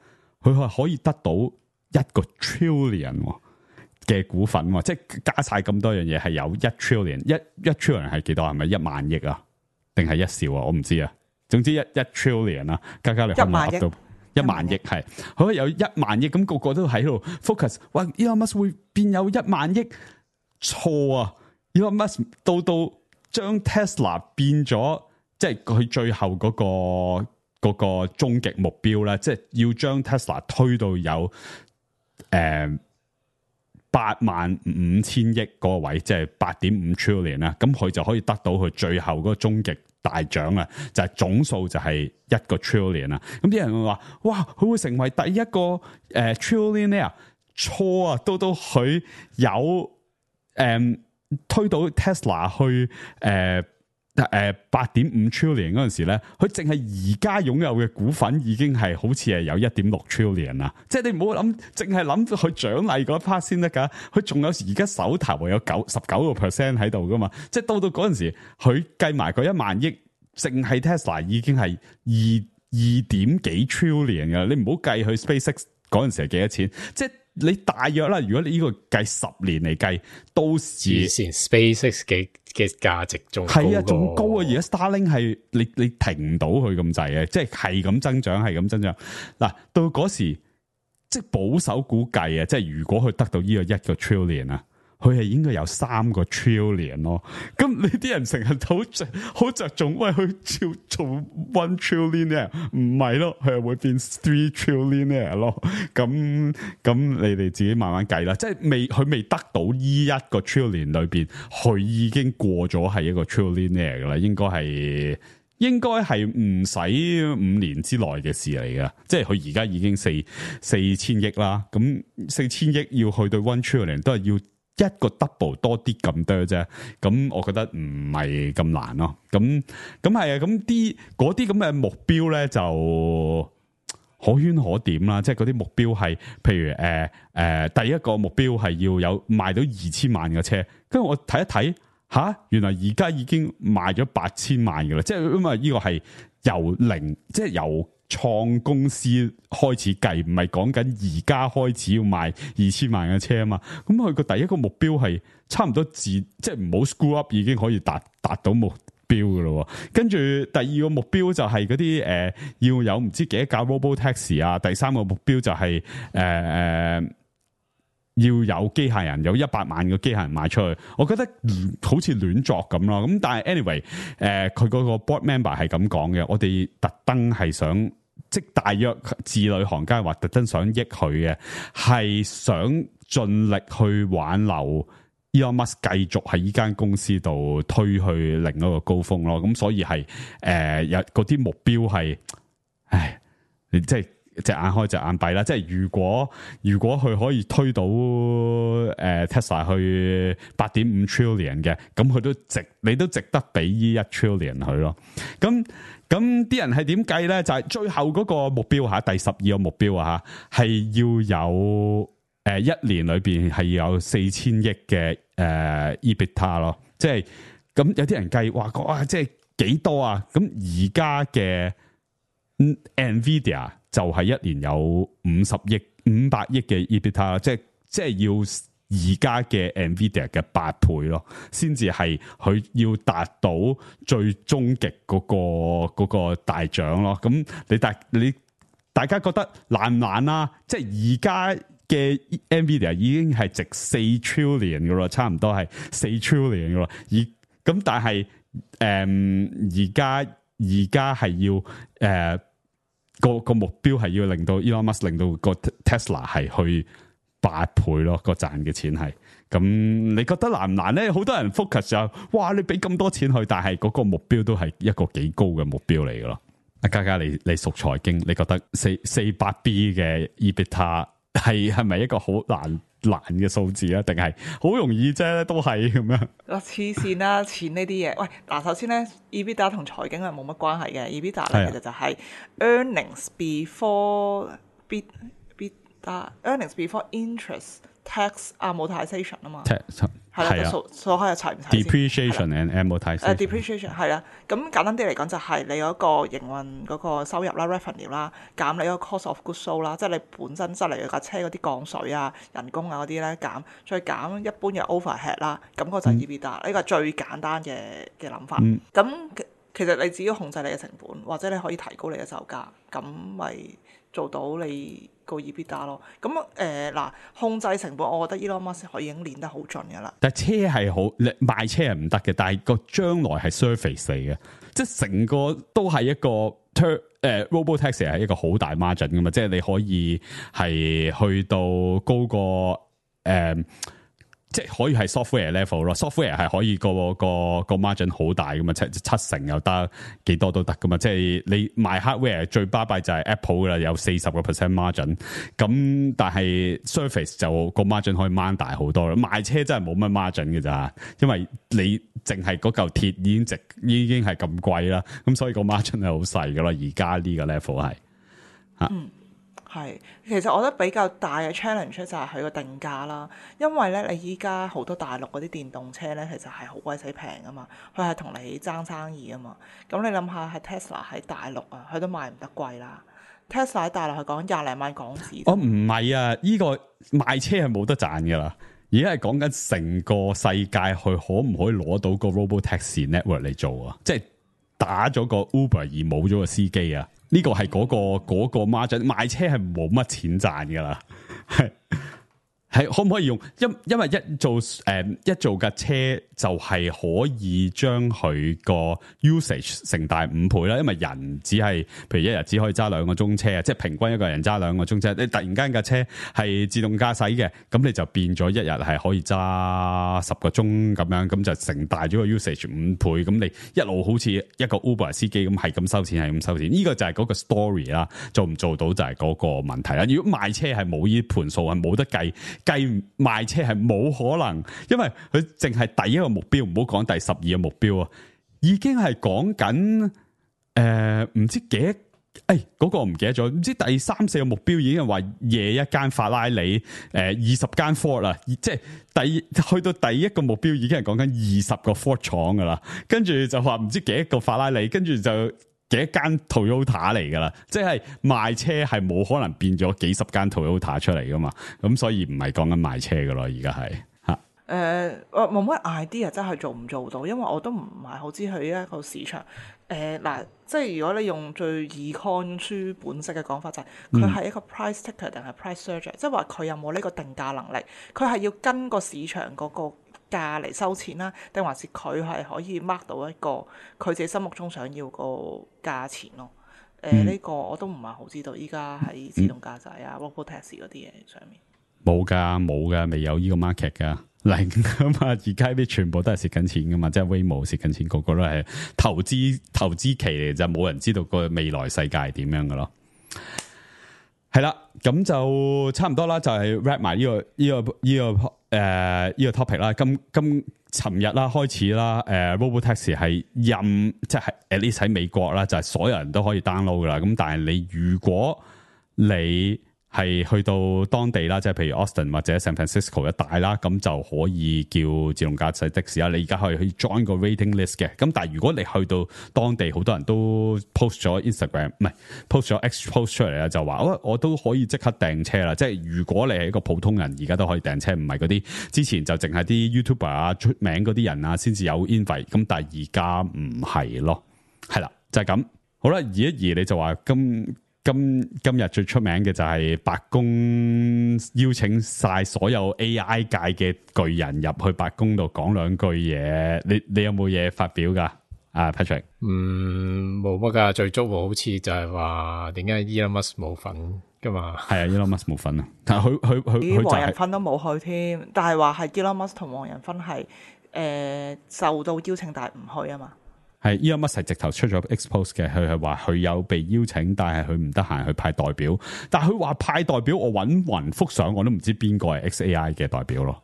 佢係可以得到1個 trillion 嘅股份，即係加晒咁多樣嘢係有1 trillion。一 trillion 係幾多？係咪1萬億啊？定係1兆啊？我唔知啊。總之一 trillion 啊，加你可唔可以噏到1萬億？係佢有1萬億，咁個個都喺度 focus。哇 ！Elon Musk 會變有1萬億？錯啊！Elon Musk 到將 Tesla 變咗，即係佢最後嗰個終極目標咧，即係要將 Tesla 推到有85000億嗰個位，即係8.5 trillion 啦。咁佢就可以得到佢最後嗰個終極大獎啊！就係總數就係1個 trillion 啦。咁啲人會話：哇，佢會成為第一個trillionaire？錯啊！到佢有推到 Tesla 去8.5 trillion 嗰陣時咧，佢淨係而家擁有嘅股份已經係好似係有1.6 trillion 啦。即係你唔好諗，淨係諗佢獎勵嗰 part 先得噶。佢仲有而家手頭有19% 喺度噶嘛。即係到嗰陣時，佢計埋嗰1萬億，淨係 Tesla 已經係2點幾 trillion 噶。你唔好計佢 SpaceX 嗰陣時係幾多錢，即係。你大約啦，如果你呢個計10年嚟計，到時以前 SpaceX 嘅價值仲係啊，仲高啊！而家 Starlink 係你停唔到佢咁滯嘅，即係咁增長，係咁增長。嗱，到嗰時即係保守估計啊，即係如果佢得到呢個1個 trillion 啊，佢係應該有3個 trillion 咯。咁你啲人成日好着重，喂，佢照做 1 trillionaire， 唔係咯，佢係會變3 trillionaire 咯。咁你哋自己慢慢計啦。即係佢未得到呢一個 trillion 裏邊，佢已經過咗係一個 trillionaire 噶啦，應該係唔使5年之內嘅事嚟嘅，即係佢而家已經4,000億啦，咁4,000億要去到1 trillion 都係要一個 double 多啲咁多啫，咁我覺得唔係咁難咯，咁係啊，咁嗰啲咁嘅目標咧就可圈可點啦，即係嗰啲目標係，譬如第一個目標係要有賣到2,000萬嘅車，跟住我睇一睇。原來而家已經賣咗8,000萬嘅啦，即係因為呢個係由零，即係由創公司開始計，唔係講緊而家開始要賣2,000萬嘅車啊嘛。咁佢個第一個目標係差唔多即係唔好 screw up 已經可以達到目標嘅咯。跟住第二個目標就係嗰啲要有唔知幾多架 Robotaxi 啊，第三個目標就係要有機械人，有100萬個機械人賣出去，我覺得好似亂作咁咯。咁但係 anyway，佢嗰個 board member 係咁講嘅，我哋特登係想，即大約字裏行間話特登想益佢嘅，係想盡力去挽留 Elon Musk 繼續喺呢間公司度推去另一個高峰咯。咁所以係有嗰啲目標係，你即係。隻眼開隻眼閉啦，即係如果佢可以推到Tesla 去 8.5 trillion 嘅，咁佢你都值得俾呢1 trillion 佢咯。咁啲人係點計咧？就係最後嗰個目標吓，第12個目標啊吓，係要有1年裏邊係要有4,000億嘅EBITDA 咯。即係咁有啲人計哇，即係幾多啊？咁而家嘅 Nvidia 就係1年有500億嘅 EBITDA， 即係要而家嘅 Nvidia 嘅8倍咯，先至係佢要達到最終極嗰個大獎咯。咁你大家覺得難唔難啊？即係而家嘅 Nvidia 已經係值4 trillion 噶咯，差唔多係4 trillion 噶咯。咁但係而家係要個目標係要令到 Elon Musk 令到個 Tesla 係去8倍咯，個賺嘅錢係。咁你覺得難唔難咧？好多人 focus 就哇，你俾咁多錢去，但係嗰個目標都係一個幾高嘅目標嚟噶咯。阿嘉嘉，你熟財經，你覺得400 B 嘅 EBITDA 係咪一個好難嘅數字啊？定係好容易啫？都係咁樣。黐線啦，錢呢啲嘢。喂，嗱，首先咧 ，EBITDA 同財經係冇乜關係嘅。EBITDA 咧其實就係 earnings earnings before interest tax amortization 啊嘛。係啦，數開一齊唔齊 depreciation and amortization。depreciation 係啦，咁簡單啲嚟講就係你嗰個營運嗰個收入啦 revenue 啦，減你嗰個 cost of goods sold 啦，即係你本身質嚟架車嗰啲降水啊、人工啊嗰啲咧減，再減一般嘅 overhead 啦，咁嗰就係 EBITDA，呢個係最簡單嘅諗法。咁其實你只要控制你嘅成本，或者你可以提高你嘅售價，咁咪做到你個 EBITDA 咯。咁嗱，控制成本，我覺得 Elon Musk 佢已經練得好盡噶啦。但係車係好，賣車係唔得嘅，但係個將來係 service 嚟嘅，即係成個都係一個Robotaxi 係一個好大 margin 噶嘛，即係你可以係去到高過即係可以係 software level 咯 ，software 係可以個 margin 好大噶嘛，七成又得，幾多都得噶嘛。即係你賣 hardware 最巴閉就係 Apple 噶啦，有40% margin。咁但係 Surface 就個 margin 可以掹大好多啦。賣車真係冇乜 margin 嘅咋，因為你淨係嗰嚿鐵已經係咁貴啦，咁所以個 margin 係好細噶啦。而家呢個 level 係係，其實我覺得比較大嘅 challenge 就係佢個定價啦，因為咧你依家好多大陸嗰啲電動車咧，其實係好鬼死平噶嘛，佢係同你爭生意啊嘛。咁你諗下，係 Tesla 喺大陸啊，佢都賣唔得貴啦。Tesla 喺大陸係講20零萬港紙。哦，唔係啊，呢個賣車係冇得賺噶啦，而家係講緊成個世界佢可唔可以攞到個 Robotaxi network 嚟做啊？即係打咗個 Uber 而冇咗個司機啊！呢個係嗰個 margin， 賣車係冇乜錢賺噶啦，係係可唔可以用？因為一做架車就係可以將佢個 usage 成大5倍啦。因為人只係譬如一日只可以揸2個鐘車啊，即係平均一個人揸2個鐘車。你突然間架車係自動駕駛嘅，咁你就變咗一日係可以揸10個鐘咁樣，咁就成大咗個 usage 5倍。咁你一路好似一個 Uber 司機咁係咁收錢，係咁收錢。呢個就係嗰個 story 啦，做唔做到就係嗰個問題啦。如果賣車係冇呢盤數，係冇得計賣車係冇可能，因為佢淨係第一個目標，唔好講第12個目標啊，已經係講緊唔知幾嗰個我唔記得咗，唔知第3、4個目標已經係話夜一間法拉利20間 Ford 啦，即係去到第一個目標已經係講緊20個 Ford 廠噶啦，跟住就話唔知幾個法拉利，跟住就幾間 Toyota 嚟噶啦，即係賣車係冇可能變咗幾10間 Toyota 出嚟噶嘛，咁所以唔係講緊賣車噶咯，而家係吓。冇乜 idea 真係做唔做到，因為我都唔係好知佢一個市場。嗱，即係如果你用最 econ 書本式嘅講法就係佢係一個 price taker 定係 price searcher，即係話佢有冇呢個定價能力，佢係要跟個市場嗰個價嚟收錢啦，定還是佢係可以 mark 到一個佢自己心目中想要個價錢咯？呢個我都唔係好知道，依家喺自動駕駛啊、robotaxi 嗰啲嘢上面冇噶，未有呢個 market 噶。零啊嘛，而家啲全部都係蝕緊錢噶嘛，即係 Waymo 蝕緊錢，個個都係投資期嚟，就冇人知道個未來世界係點樣噶咯。係啦，咁就差唔多啦，就係 wrap 埋呢個 topic 啦。尋日啦開始啦，Robotaxi 係即係 at least 喺美國啦，就係所有人都可以 download 噶啦。咁但係你如果你係去到當地啦，即係譬如 Austin 或者 San Francisco 一帶啦，咁就可以叫自動駕駛的士啦。你而家可以去 join 個 rating list 嘅。咁但係如果你去到當地，好多人都 post 咗 Instagram， 唔係 post 咗 X post 出嚟啦，就話我都可以即刻訂車啦。即係如果你係一個普通人，而家都可以訂車，唔係嗰啲之前就淨係啲 YouTuber 啊出名嗰啲人啊先至有 invite。咁但係而家唔係咯，係啦，就係咁。好啦，移一移你就話今日最出名嘅就係白宮邀請晒所有 AI 界嘅巨人入去白宮度講兩句嘢，你有冇嘢發表噶？啊 Patrick， 冇乜噶，最足好似就係話點解 Elon Musk 冇份噶嘛？係啊 ，Elon Musk 冇份啊，但係佢黃仁勳都冇去添，但係話係 Elon Musk 同黃仁勳係受到邀請但係唔去啊嘛。係 Elon Musk 係直頭出咗 expose 嘅，佢係話佢有被邀請，但係佢唔得閒去派代表。但係佢話派代表，我揾勻幅相，我都唔知邊個係 XAI 嘅代表咯。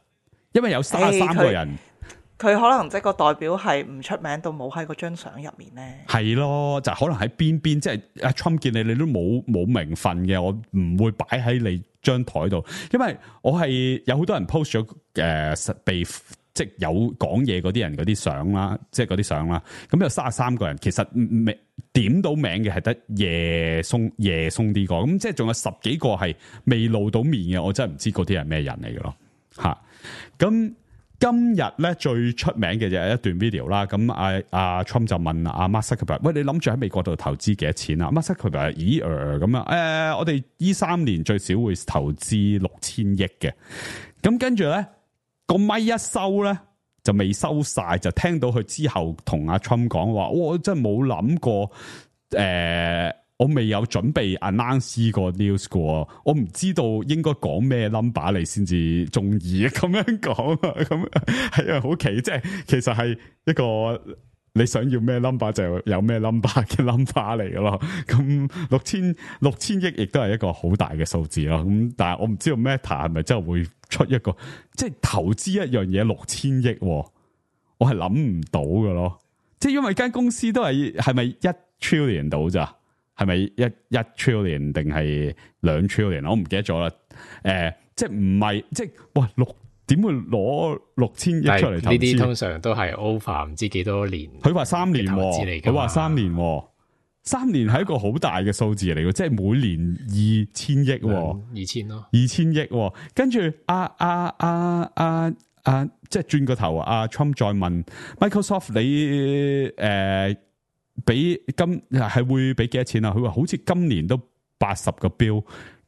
因為有33個人，佢可能即係個代表係唔出名到冇喺嗰張相入面咧。係咯，就可能喺邊，即係阿 Trump 見你都冇名分嘅，我唔會擺喺你張台度。因為我係有好多人 post 咗被。即係有講嘢嗰啲人嗰啲相啦，即係嗰啲相啦。咁有33個人，其實點到名嘅係得夜松啲個，咁即係仲有10幾個係未露到面嘅，我真係唔知嗰啲係咩人嚟嘅咯。吓，咁今日咧最出名嘅就係一段 video 啦。咁阿 Trump 就問阿 Mark Zuckerberg，喂，你諗住喺美國度投資幾多錢啊？ Mark Zuckerberg 咦咁啊？我哋呢3年最少會投資6000億嘅。咁跟住咧。個咪一收咧就未收晒，就聽到佢之後同阿 Trump 講話，我真係冇諗過，我未有準備 announce 個 news 嘅，我唔知道應該講咩 number 你先至中意咁樣講啊，咁係啊，好奇，即係其實係一個你想要咩 number 就有咩 number 嘅 number 嚟嘅咯。咁6000億亦都係一個好大嘅數字咯。咁但係我唔知道 Meta 係咪真係會出一個即係投資一樣嘢6000億，我係諗唔到嘅咯。即係因為間公司都係咪1 trillion 到咋？係咪一 trillion 定係2 trillion？我唔記得咗啦。即係唔係即係哇點會攞6000億出嚟投資？呢啲通常都係 over 唔知幾多年。佢話3年，佢話3年，3年係一個好大嘅數字嚟嘅，即係每年2000億，2000咯，2000億。跟住即係轉個頭，阿 Trump 再問 Microsoft 你俾係會俾幾多錢啊？佢話好似今年都80個 bill。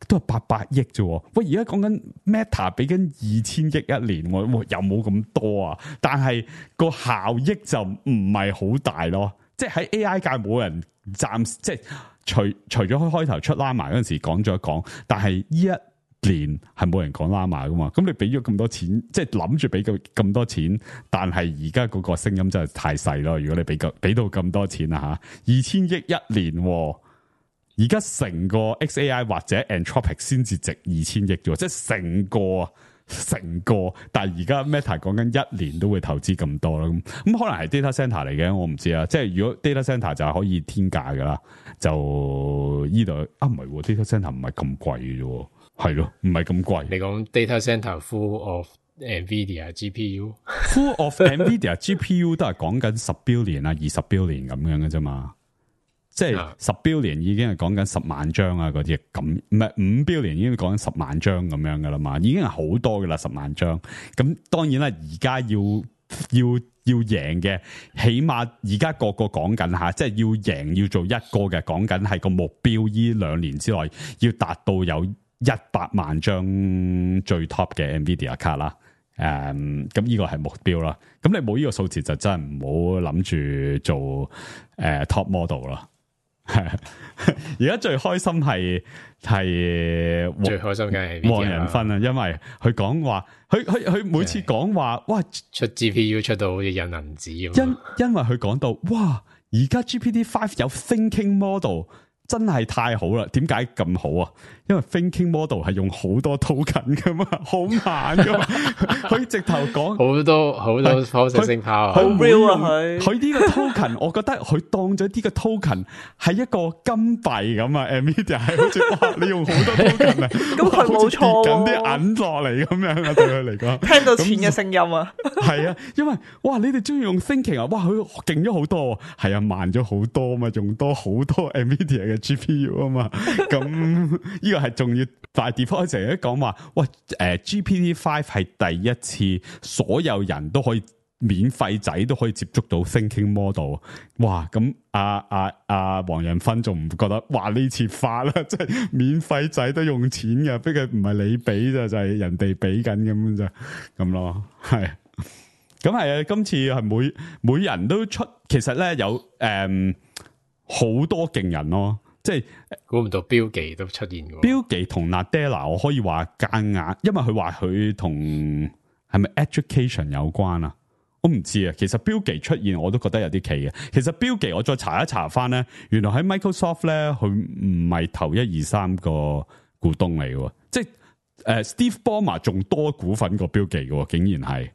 都係800億啫。喂，而家講緊 Meta 俾緊2000億一年，有冇咁多啊？但係個效益就唔係好大咯。即係喺 AI 界冇人暫時即係除咗開頭出 Llama 嗰陣時講咗講，但係呢一年係冇人講 Llama 噶嘛。咁你俾咗咁多錢，即係諗住俾咁多錢，但係而家嗰個聲音真係太細咯。如果你俾到咁多錢啊吓，2000億一年。而家成個 XAI 或者 Anthropic 先至值2000億啫，即係成個，但係而家 Meta 講緊一年都會投資咁多啦，咁可能係 data center 嚟嘅，我唔知啊。即係如果 data center 就係可以天價噶啦，就依度唔係 data center 唔係咁貴嘅啫，係咯，唔係咁貴。你講 data center full of NVIDIA GPU，full of NVIDIA GPU 都係講緊10 billion 啊，20 billion 咁樣嘅啫嘛。即係10 billion 已經係講緊10萬張啊，嗰啲咁唔係5 billion 已經講緊10萬張咁樣噶啦嘛，已經係好多噶啦10萬張。咁當然啦，而家要贏嘅，起碼而家個講緊吓，即係要贏要做一個嘅，講緊係個目標，依2年之內要達到有100萬張最 top 嘅 NVIDIA 卡啦。咁呢個係目標啦。咁你冇呢個數字就真係唔好諗住做top model 啦。係，而家最開心係最開心嘅係黃仁勳啊，因為佢講話，佢每次講話，哇，出 GPU 出到好似印銀紙咁。因為佢講到，哇，而家 GPT-5 有 thinking model。真係太好啦！點解咁好啊？因為 thinking model 係用好多 token 噶嘛，好慢噶嘛。佢直頭講好多 processing power，好 real 啊！佢呢個 token， 我覺得佢當咗呢個 token 係一個金幣咁啊。Nvidia 係好似哇，你用好多 token 啊，咁佢冇錯喎，緊啲銀落嚟咁樣啊，對佢嚟講，聽到錢嘅聲音啊，係啊，因為哇，你哋中意用 thinking 啊，哇，佢勁咗好多，係啊，慢咗好多嘛，用多好多 Nvidia 嘅 GPU 啊嘛，咁呢個係重要。大 default 成日都講話，喂，GPT-5 係第一次所有人都可以免費仔都可以接觸到 thinking model， 哇！咁黃仁勳仲唔覺得哇呢次發啦，即係免費仔都用錢嘅，不過唔係你俾啫，就係人哋俾緊咁就咁咯，係。咁係啊，今次係每人都出，其實咧有好多勁人咯。即係估唔到標記都出現嘅，標記同 Nadella 我可以話夾硬，因為佢話佢同係咪 education 有關啊？我唔知啊。其實標記出現我都覺得有啲奇嘅。其實標記我再查一查翻咧，原來喺 Microsoft 咧，佢唔係頭1、2、3個股東嚟嘅，即係Steve Ballmer 仲多股份過標記嘅，竟然係。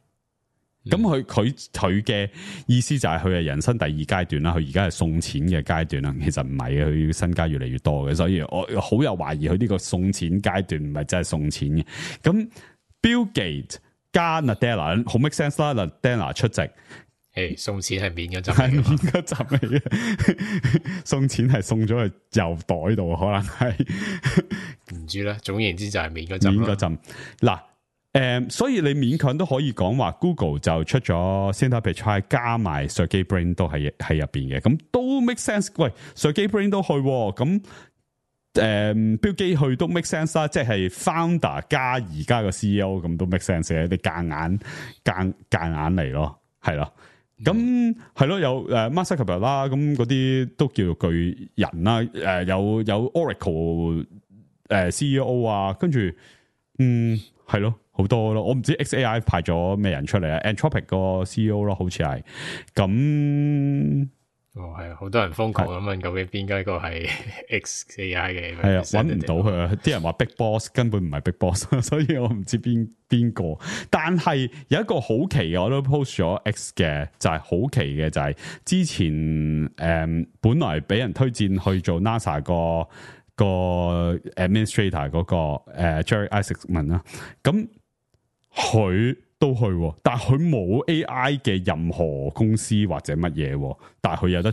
咁佢嘅意思就係佢係人生第2階段啦，佢而家係送錢嘅階段啦。其實唔係嘅，佢身家越嚟越多嘅，所以我好有懷疑佢呢個送錢階段唔係真係送錢嘅。咁 Bill Gates 加 Nadella 好 make sense 啦，Nadella 出席，送錢係免嗰陣，係免嗰陣嚟嘅，送錢係送咗去郵袋度，可能係唔知啦。總言之就係免嗰陣嗱。所以你勉強都可以講話 Google 就出咗 Sundar Pichai 加埋 Sergey Brin 都喺入邊嘅，咁都 make sense。喂 Sergey Brin 都去，咁Bill Gates去都 make sense 啦，即係 founder 加而家個 CEO 咁都 make sense 嘅，你夾硬嚟咯，係咯。咁係咯，有Mark Zuckerberg 啦，咁嗰啲都叫做巨人啦。有 Oracle CEO 啊，跟住係咯。好多咯，我唔知 XAI 派咗咩人出嚟啊 ，Anthropic 個 CEO 咯，好似係咁。係好多人瘋狂咁問究竟邊個一個係 XAI 嘅？係啊，揾唔到佢啊！啲人話 Big Boss 根本唔係 Big Boss， 所以我唔知邊個。但係有一個好奇嘅，我都 post 咗 X 嘅，就係好奇嘅，就係之前本來俾人推薦去做 NASA 個 administrator 嗰個Jerry Isaacman 啦，咁。佢都去，但係佢冇 AI 嘅任何公司或者乜嘢，但係佢有得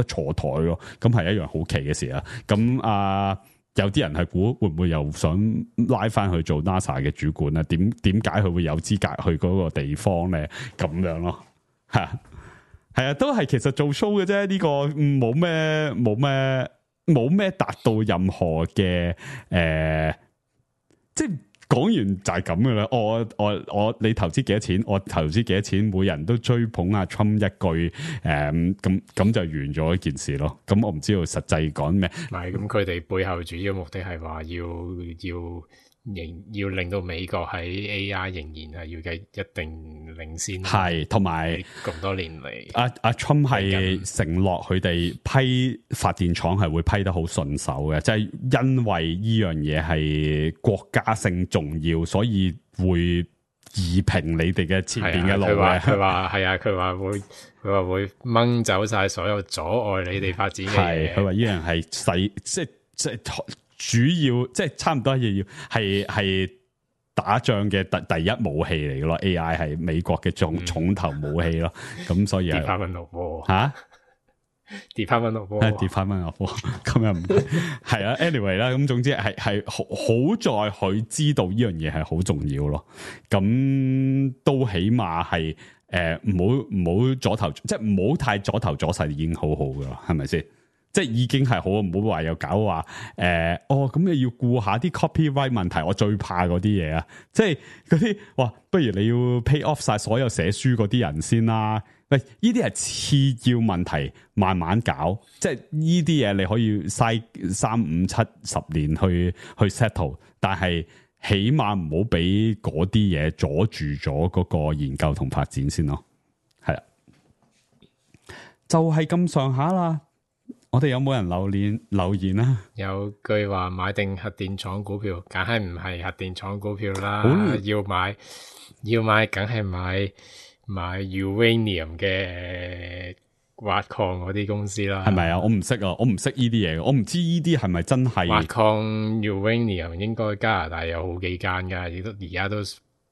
坐台咯，咁係一樣好奇嘅事啊！咁有啲人係估會唔會又想拉翻去做 NASA 嘅主管咧？點解佢會有資格去嗰個地方咧？咁樣咯，係啊，都係其實做 show 嘅啫，呢個冇冇咩達到任何嘅即係講完就係咁噶啦。我你投資幾多錢？我投資幾多錢？每人都追捧阿 Trump 一句咁就完咗一件事咯。咁我唔知道實際講咩。唔係咁，佢哋背後主要目的係話要令到美國喺 AI 仍然係要嘅一定領先，係同埋咁多年嚟，阿 Trump 係承諾佢哋批發電廠係會批得好順手嘅，即係因為呢樣嘢係國家性重要，所以會移平你哋嘅前邊嘅路嘅。佢話係啊，佢話會掹走晒所有阻礙你哋發展嘅嘢。佢話呢樣係細即係主要即係差唔多要係打仗嘅第一武器嚟嘅咯。AI 係美國嘅重頭武器咯。咁所以Department of War 吓 Department of War 咁又唔係啊。anyway 啦，咁總之係好在佢知道呢樣嘢係好重要咯。咁都起碼係唔好阻頭，即係唔好太阻頭阻勢，已經好好噶啦，係咪先？即係已經係好，唔好話又搞話咁你要顧下啲 copyright 問題，我最怕嗰啲嘢啊！即係嗰啲哇，不如你要 pay off 晒所有寫書嗰啲人先啦。喂，呢啲係次要問題，慢慢搞。即係呢啲嘢你可以嘥3、5、7、10年去 settle， 但係起碼唔好俾嗰啲嘢阻住咗嗰個研究同發展先咯。係啦，就係咁上下啦。我哋有冇人留言啊？有句話買定核電廠股票，梗係唔係核電廠股票啦。要買梗係買 uranium 嘅挖礦嗰啲公司啦。係咪啊？我唔識啊，我唔識呢啲嘢，我唔知呢啲係咪真係挖礦 uranium 應該加拿大有好幾間噶，亦都而家都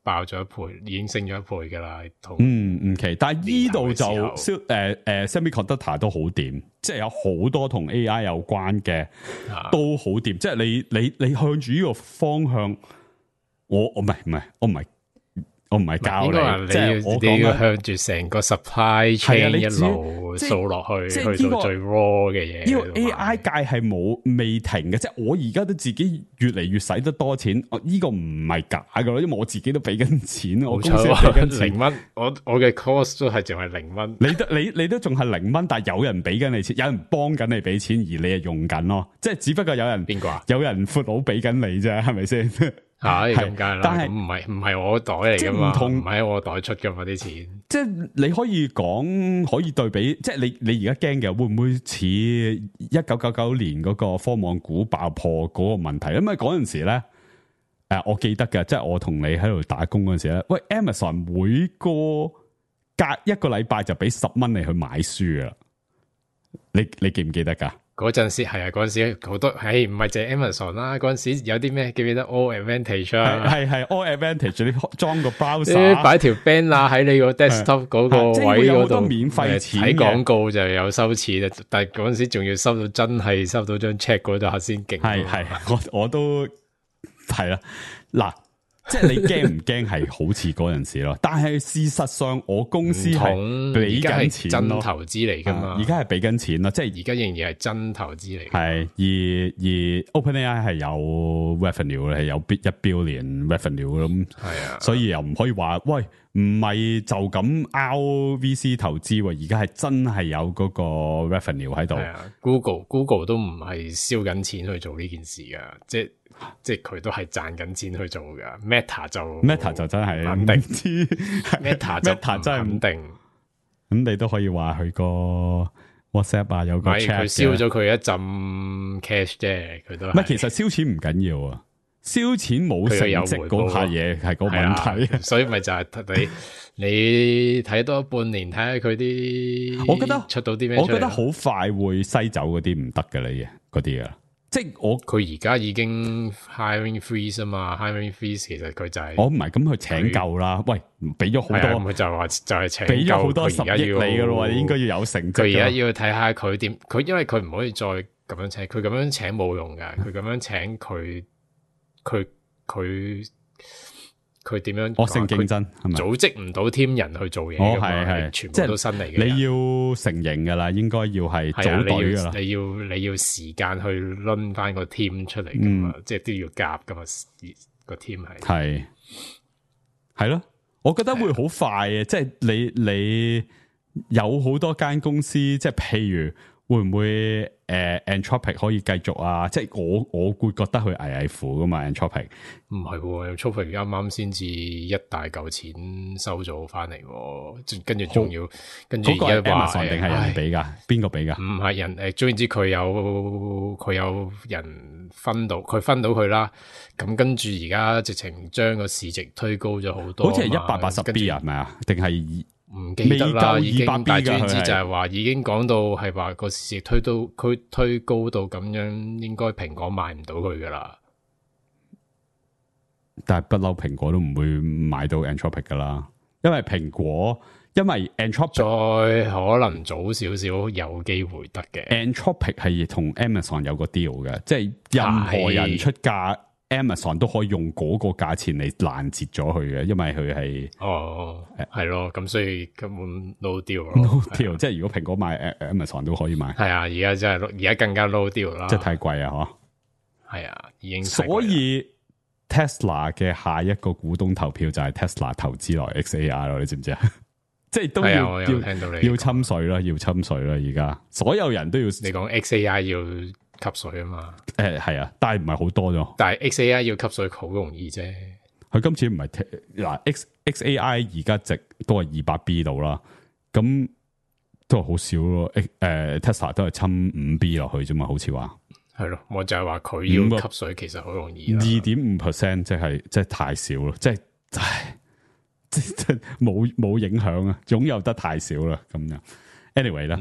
爆咗1倍，已經升咗1倍噶啦。唔奇，但係呢度就semiconductor 都好掂，即係有好多同 AI 有關嘅都好掂。即係你向住呢個方向，我唔係教你，即係你要向住成個 supply chain 一路掃落去，去到最 raw 嘅嘢。呢個 AI 界係未停嘅，即係我而家都自己越嚟越使得多錢。呢個唔係假噶咯，因為我自己都俾緊錢，我公司俾緊錢0蚊，我嘅 cost 都係淨係0蚊。你都仲係0蚊，但係有人俾緊你錢，有人幫緊你俾錢，而你係用緊咯。即係只不過有人邊個啊？有人闊佬俾緊你啫，係咪先？係咁梗係啦，但係唔係我袋嚟噶嘛，唔係喺我袋出噶嘛啲錢。即係你可以講，可以對比，即係你而家驚嘅會唔會似1999年嗰個科網股爆破嗰個問題？因為嗰陣時咧，我記得嘅，即係我同你喺度打工嗰陣時咧，喂 Amazon 每隔一個禮拜就俾10蚊你去買書啊！你記唔記得噶？嗰陣時係啊，嗰陣時好多，唔係淨係 Amazon 啦。嗰陣時有啲咩記唔記得 All Advantage 啊？係 All Advantage，你裝個 browser，擺條 banner 喺你個 desktop 嗰個位嗰度，免費錢睇廣告就有收錢，但係嗰陣時仲要真係收到張 check 嗰度下先勁。係，我都係啦，嗱。即係你驚唔驚係好似嗰陣時咯？但係事實上，我公司係俾緊錢咯，真投資嚟噶嘛？而家係俾緊錢咯，即係而家仍然係真投資嚟。係而 OpenAI 係有 revenue 係有1 billion revenue 咁，係啊，所以又唔可以話喂唔係就咁 RVC 投資，而家係真係有嗰個 revenue 喺度。Google 都唔係燒緊錢去做呢件事噶，即係佢都係賺緊錢去做噶。Meta 就真係肯定知，Meta 真係唔定。咁你都可以話佢個 WhatsApp 啊，有個 chat 佢燒咗佢一陣 cash 啫，佢都唔係。其實燒錢唔緊要啊，燒錢冇成績嗰下嘢係個問題。所以咪就係你睇多半年，睇下佢啲，我覺得出到啲咩？我覺得好快會篩走嗰啲唔得嘅咧，嗰啲啊。即係佢而家已經 hiring freeze 啊嘛，hiring freeze 其實佢就係我唔係咁去請夠啦。喂，俾咗好多，佢就話就係請夠，俾咗好多10億你噶咯，應該要有成績。佢而家要睇下佢點，佢因為佢唔可以再咁樣請，佢咁樣請冇用噶。佢咁樣請佢佢點樣惡性競爭係咪？組織唔到 team 人去做嘢㗎嘛，係全部都新嚟嘅。你要成型㗎啦，應該要係組隊㗎啦。你要時間去攆翻個 team 出嚟㗎嘛，即係都要夾㗎嘛，個 team 係咯，我覺得會好快嘅，即係你有好多間公司，即係譬如會唔會Anthropic 可以繼續啊？即係我會覺得佢危乎噶嘛 Anthropic。唔係喎，Anthropic 啱啱先至一大嚿錢收咗翻嚟，跟住仲要跟住而家話定係人俾噶？邊個俾噶？唔係人總言之佢有人分到佢啦。咁跟住而家直情將個市值推高咗好多，好似係180 B 啊？係咪啊？定係？唔記得啦，已經，但係總之就係話已經講到係話個市值推高到咁樣，應該蘋果買唔到佢噶啦。但係不嬲，蘋果都唔會買到 Anthropic 噶啦，因為 Anthropic 再可能早少少有機會得嘅。Anthropic 係同 Amazon 有個 deal 嘅，即係任何人出價。Amazon 都可以用嗰個價錢嚟攔截咗佢嘅，因為佢係係咯，咁所以根本 no deal 咯 ，no deal，即係如果蘋果買 Amazon 都可以買，係啊，而家真係而家更加 no deal 啦，即係太貴啊，嗬，係啊，已經所以 Tesla 嘅下一個股東投票就係 Tesla 投資來 XAI 咯，你知唔知啊？即係都要聽到你要侵水啦，要侵水啦，而家所有人都要你講 XAI 要吸水啊嘛，係啊，但係唔係好多啫。但係 XAI 要吸水好容易啫。佢今次唔係嗱 XAI 而家值都係200 B 度啦，咁都係好少咯。Tesla 都係侵5 B 落去啫嘛，好似話係咯。我就係話佢要吸水其實好容易2.5%，即係太少咯，即係冇影響啊，擁有得太少啦，咁樣。anyway 啦，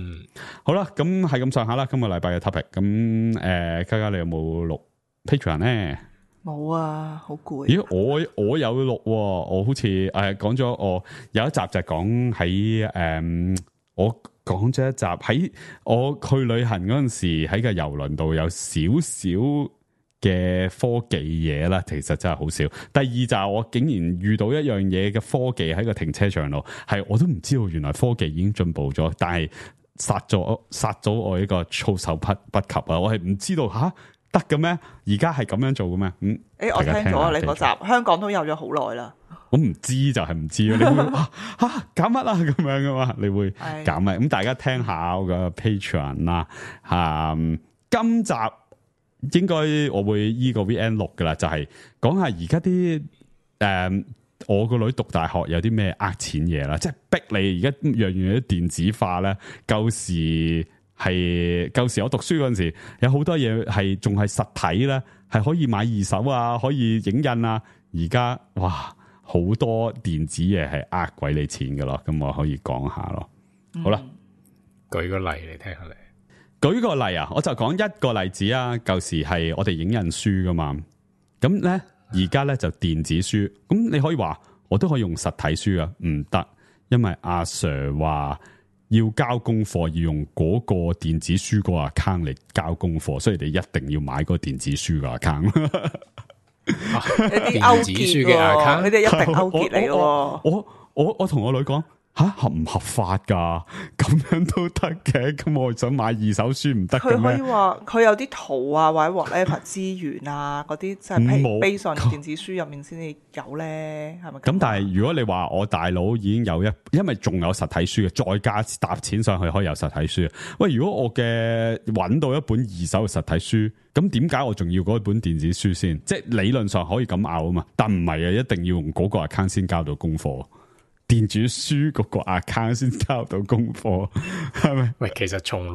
好啦，咁係咁上下啦。今個禮拜嘅 topic，咁嘉嘉你有冇錄 Patreon 咧？冇啊，好攰。咦，我有錄，我好似講咗，我有一集就係講喺我講咗一集喺我去旅行嗰陣時喺個郵輪度有少少嘅科技嘢啦，其實真係好少。第二就係我竟然遇到一樣嘢嘅科技喺個停車場度，係我都唔知道原來科技已經進步咗，但係殺咗我一個措手不及啊！我係唔知道得嘅咩？而家係咁樣做嘅咩？我聽咗你嗰集，香港都有咗好耐啦。我唔知就係唔知咯，你會搞乜啊咁樣噶嘛？你會搞乜？咁大家聽下我個 Patreon 啦，今集。應該我會依個 VN 錄噶啦，就係講下而家啲我個女讀大學有啲咩錢嘢啦，即係逼你而家樣樣都電子化咧。舊時我讀書嗰陣時，有好多嘢係仲係實體咧，係可以買二手啊，可以影印啊。而家哇，好多電子嘢係鬼你錢噶咯，咁我可以講下咯。好啦，舉個例嚟聽下你。舉個例啊，我就講一個例子啊。舊時係我哋影印書噶嘛，咁咧而家咧就電子書。咁你可以話我都可以用實體書啊，唔得，因為阿 Sir 話要交功課要用嗰個電子書個 account 嚟交功課，所以你一定要買嗰個電子書個 account。啲勾結嘅 account，你哋一定勾結嚟咯。我同我女講。合唔合法噶？咁樣都得嘅，咁我想買二手書唔得嘅咩？佢可以話佢有啲圖啊，或者 whatever 資源啊，嗰啲即係 base on 電子書入面先至有咧，係咪？咁但係如果你話我大佬已經有因為仲有實體書嘅，再加搭錢上去可以有實體書。喂，如果我嘅搵到一本二手嘅實體書，咁點解我仲要嗰本電子書先？即係理論上可以咁拗啊嘛，但唔係啊，一定要用嗰個 account 先交到功課。電子書嗰個 account 先交到功課，係咪？喂，其實從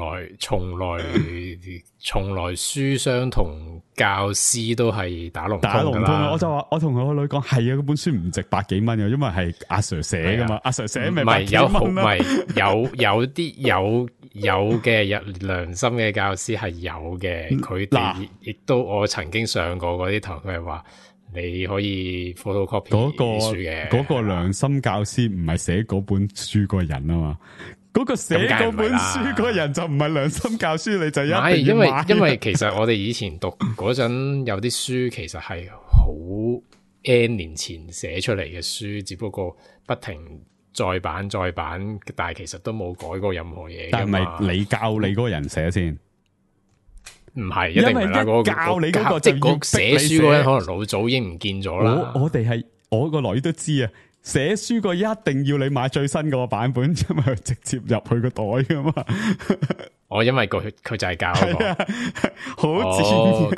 來書商同教師都係打龍通啦。我就話我同我女講，係啊，嗰本書唔值百幾蚊嘅，因為係阿 Sir 寫噶嘛，阿 Sir 寫咪百幾蚊啦。唔係有啲有嘅良心嘅教師係有嘅，佢哋亦都我曾經上過嗰啲堂，佢係話。你可以 photocopy 書嘅嗰個良心教師唔係寫嗰本書個人啊嘛，嗰個寫嗰本書個人就唔係良心教師，你就一定要買。因為其實我哋以前讀嗰陣有啲書其實係好 N 年前寫出嚟嘅書，只不過不停再版，但係其實都冇改過任何嘢。但係咪你教你嗰個人寫先？唔係，一定唔係啦。嗰教你嗰個即係嗰寫書嗰人可能老早已經唔見咗啦。我哋係我個女都知啊，寫書個一定要你買最新嗰個版本，因為直接入去個袋噶嘛。因為佢就係教嗰個，好賤。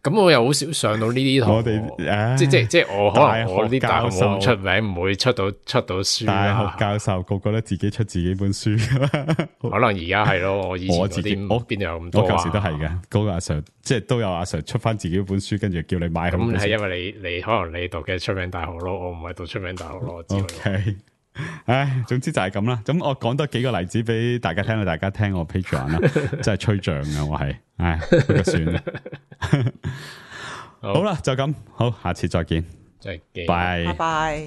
咁我又好少上到呢啲堂。我哋即係我可能我啲大學冇大學教授出名，唔會出到書大啦學。教授個個都自己出自己本書，可能而家係咯，我以前我自己嗰啲邊度有咁多啊？我舊時都係嘅，嗰個阿 Sir 即係都有阿 Sir 出翻自己本書，跟住叫你買好本書。咁係因為你可能你讀嘅出名大學咯，我唔係讀出名大學咯，我知道。OK，唉，總之就係咁啦。咁我講多幾個例子俾大家聽，大家聽我 Patreon 啦，真係吹脹嘅我係，唉，不過算啦。好啦，就咁，好，下次再見，再見，拜拜拜。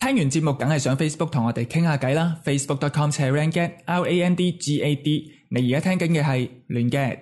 聽完節目梗係上 Facebook 同我哋傾下偈啦 ，facebook.com/randgad，RANDGAD。你而家聽緊嘅係亂 gad。